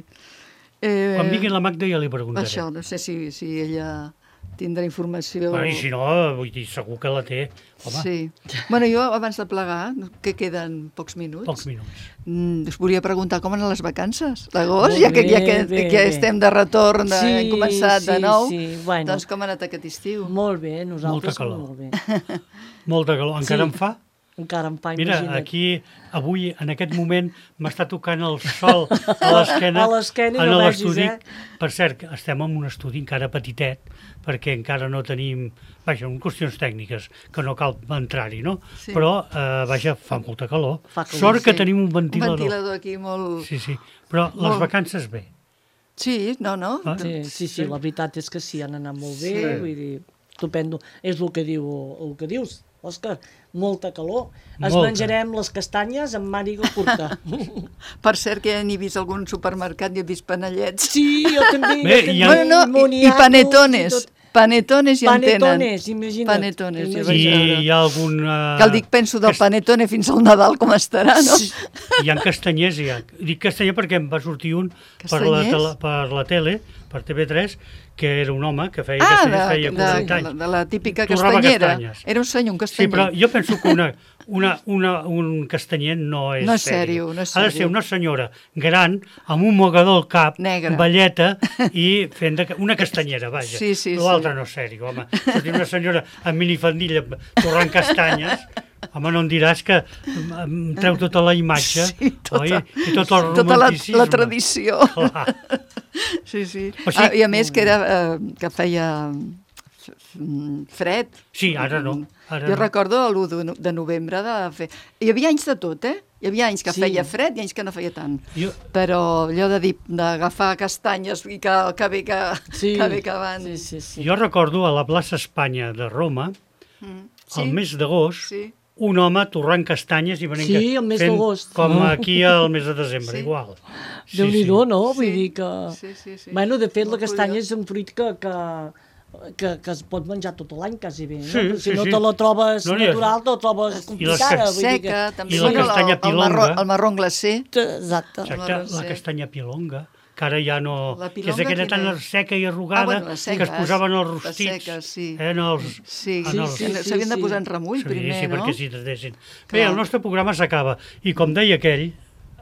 Eh, Quan vingui la Magda ja li preguntaré. Això, no sé si, si ella tindrà informació. Bueno, I si no, vull dir, segur que la té. Home, Sí. Bueno, jo, abans de plegar, que queden pocs minuts, pocs minuts. mm, us volia preguntar com eren les vacances d'agost, Molt ja que, ja bé, que, bé, que bé. estem de retorn, de, Sí, hem començat de sí, nou. sí, bueno. Doncs com ha anat aquest estiu? Molt bé, nosaltres Molta calor. molt bé. Molta calor. Encara Sí. en fa? encara em fa, Mira, imagina't. aquí, avui, en aquest moment, m'està tocant el sol a l'esquena A l'esquena i en no l'estudi. vegis, eh? Per cert, estem en un estudi encara petitet, perquè encara no tenim... Vaja, en qüestions tècniques, que no cal entrar-hi, no? Sí. Però, eh, vaja, fa molta calor. Fa calor, Sort que sí. tenim un Un ventilador. ventilador aquí molt... Sí, sí. Però les Molt. vacances bé. Sí, no, no. Ah. Sí, sí, sí, la veritat és que sí, han anat molt bé, Sí. vull dir, estupendo. És el que diu, el que dius, Òscar, molta calor. Es Molta. menjarem les castanyes amb màniga curta. Per cert, que ja n'he vist algun supermercat i he vist panellets. Sí, jo també. Bé, jo també. hi ha- Bueno, no, i, i Moniatos panetones. i tot. Panetones ja en tenen. Panetones, imagina't. Panetones, ja Imagina't. vaig I veure. hi ha algun... Uh, Que el dic, penso del panetone fins al Nadal, com estarà, no? Sí. Hi ha castanyers, hi ha. Dic castanyer perquè em va sortir un per la, Castanyers? tele, per la tele, per T V tres, que era un home que feia Ah, de, castanyers, feia de, quaranta de, anys. de la típica Torrava castanyera. castanyes. Era un senyor, un Sí, castanyer. però jo penso que una, una, una, un castanyer no és No és sèrio. sèrio, no és Ha de sèrio. ser una senyora gran, amb un mogador al cap, Negre. velleta, i fent de, una castanyera, vaja. Sí, sí, L'altre sí. no és sèrio, home. Sortir una senyora amb minifaldilla torrant castanyes, home, no em diràs que em treu tota la imatge, Sí, tota, oi? I tot el tota la, romanticisme. la tradició. Clar. Sí, sí. O sigui- ah, I a més que, era, eh, que feia f- f- fred. Sí, ara no. Ara Jo no. recordo l'u de no- de novembre de fer... Hi havia anys de tot, eh? Hi havia anys que Sí. feia fred i anys que no feia tant. Jo, Però allò de dir d'agafar castanyes i que, que bé que, Sí, que bé que van... sí, sí, sí. jo recordo a la plaça Espanya de Roma, Sí, al mes d'agost, sí. un home torrant castanyes i venint Sí, al mes fent d'agost. com aquí al mes de desembre, Sí. igual. Sí, Déu-n'hi-do, no? Vull Sí. dir que... Sí, sí, sí. Bueno, de fet, la Molt castanya curiós. és un fruit que, que, que, que es pot menjar tot l'any, quasi bé. No? Sí, Però si sí, no sí. te la trobes No n'hi ha- natural, te la trobes complicada. cas- vull dir Seca, que... també. I la Bueno, castanya el, el, marró, pilonga. el marró glacé. Exacte. Exacte, marró, la sí. castanya pilonga, que ara ja no... La que és pilonga aquella tan quina és? seca i arrugada Ah, bueno, les que es seques, posaven als les rostits. seques, sí. Eh, en els, Sí, en sí, els, sí, sí, s'havien de sí. posar en remull Sí, primer, sí, no? perquè si desdessin. Bé, Clar. el nostre programa s'acaba. I com deia aquell,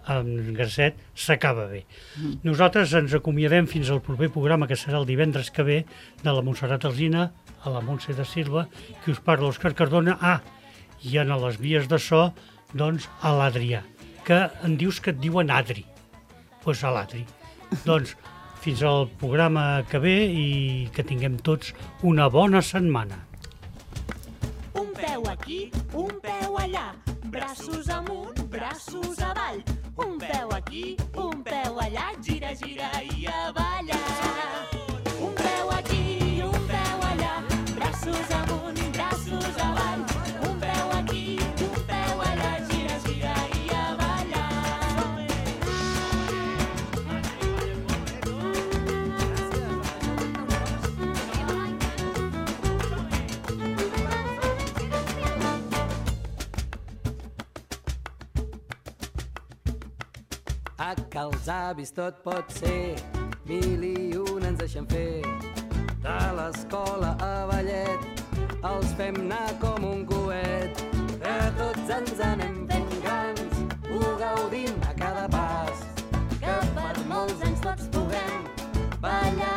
en Garcet, s'acaba bé. Mm. Nosaltres ens acomiadem fins al proper programa, que serà el divendres que ve, de la Montserrat Alsina, a la Montse de Silva, que us parla Òscar Cardona. Ah, i en les vies de so, doncs, a l'Adrià, que em dius que et diuen Adri. Doncs pues a l'Adri. Doncs fins al programa que ve i que tinguem tots una bona setmana. Un peu aquí, un peu allà, braços amunt, braços avall. Un peu aquí, un peu allà, gira, gira i a ballar. Un peu aquí, un peu allà, braços amunt, braços avall. Un peu aquí, un peu allà, gira, gira i a ballar. A que els avis tot pot ser, mil i un ens deixen fer. De l'escola a ballet, els fem anar com un coet. Que tots ens anem fent grans, ho gaudim a cada pas. Que per molts anys tots puguem ballar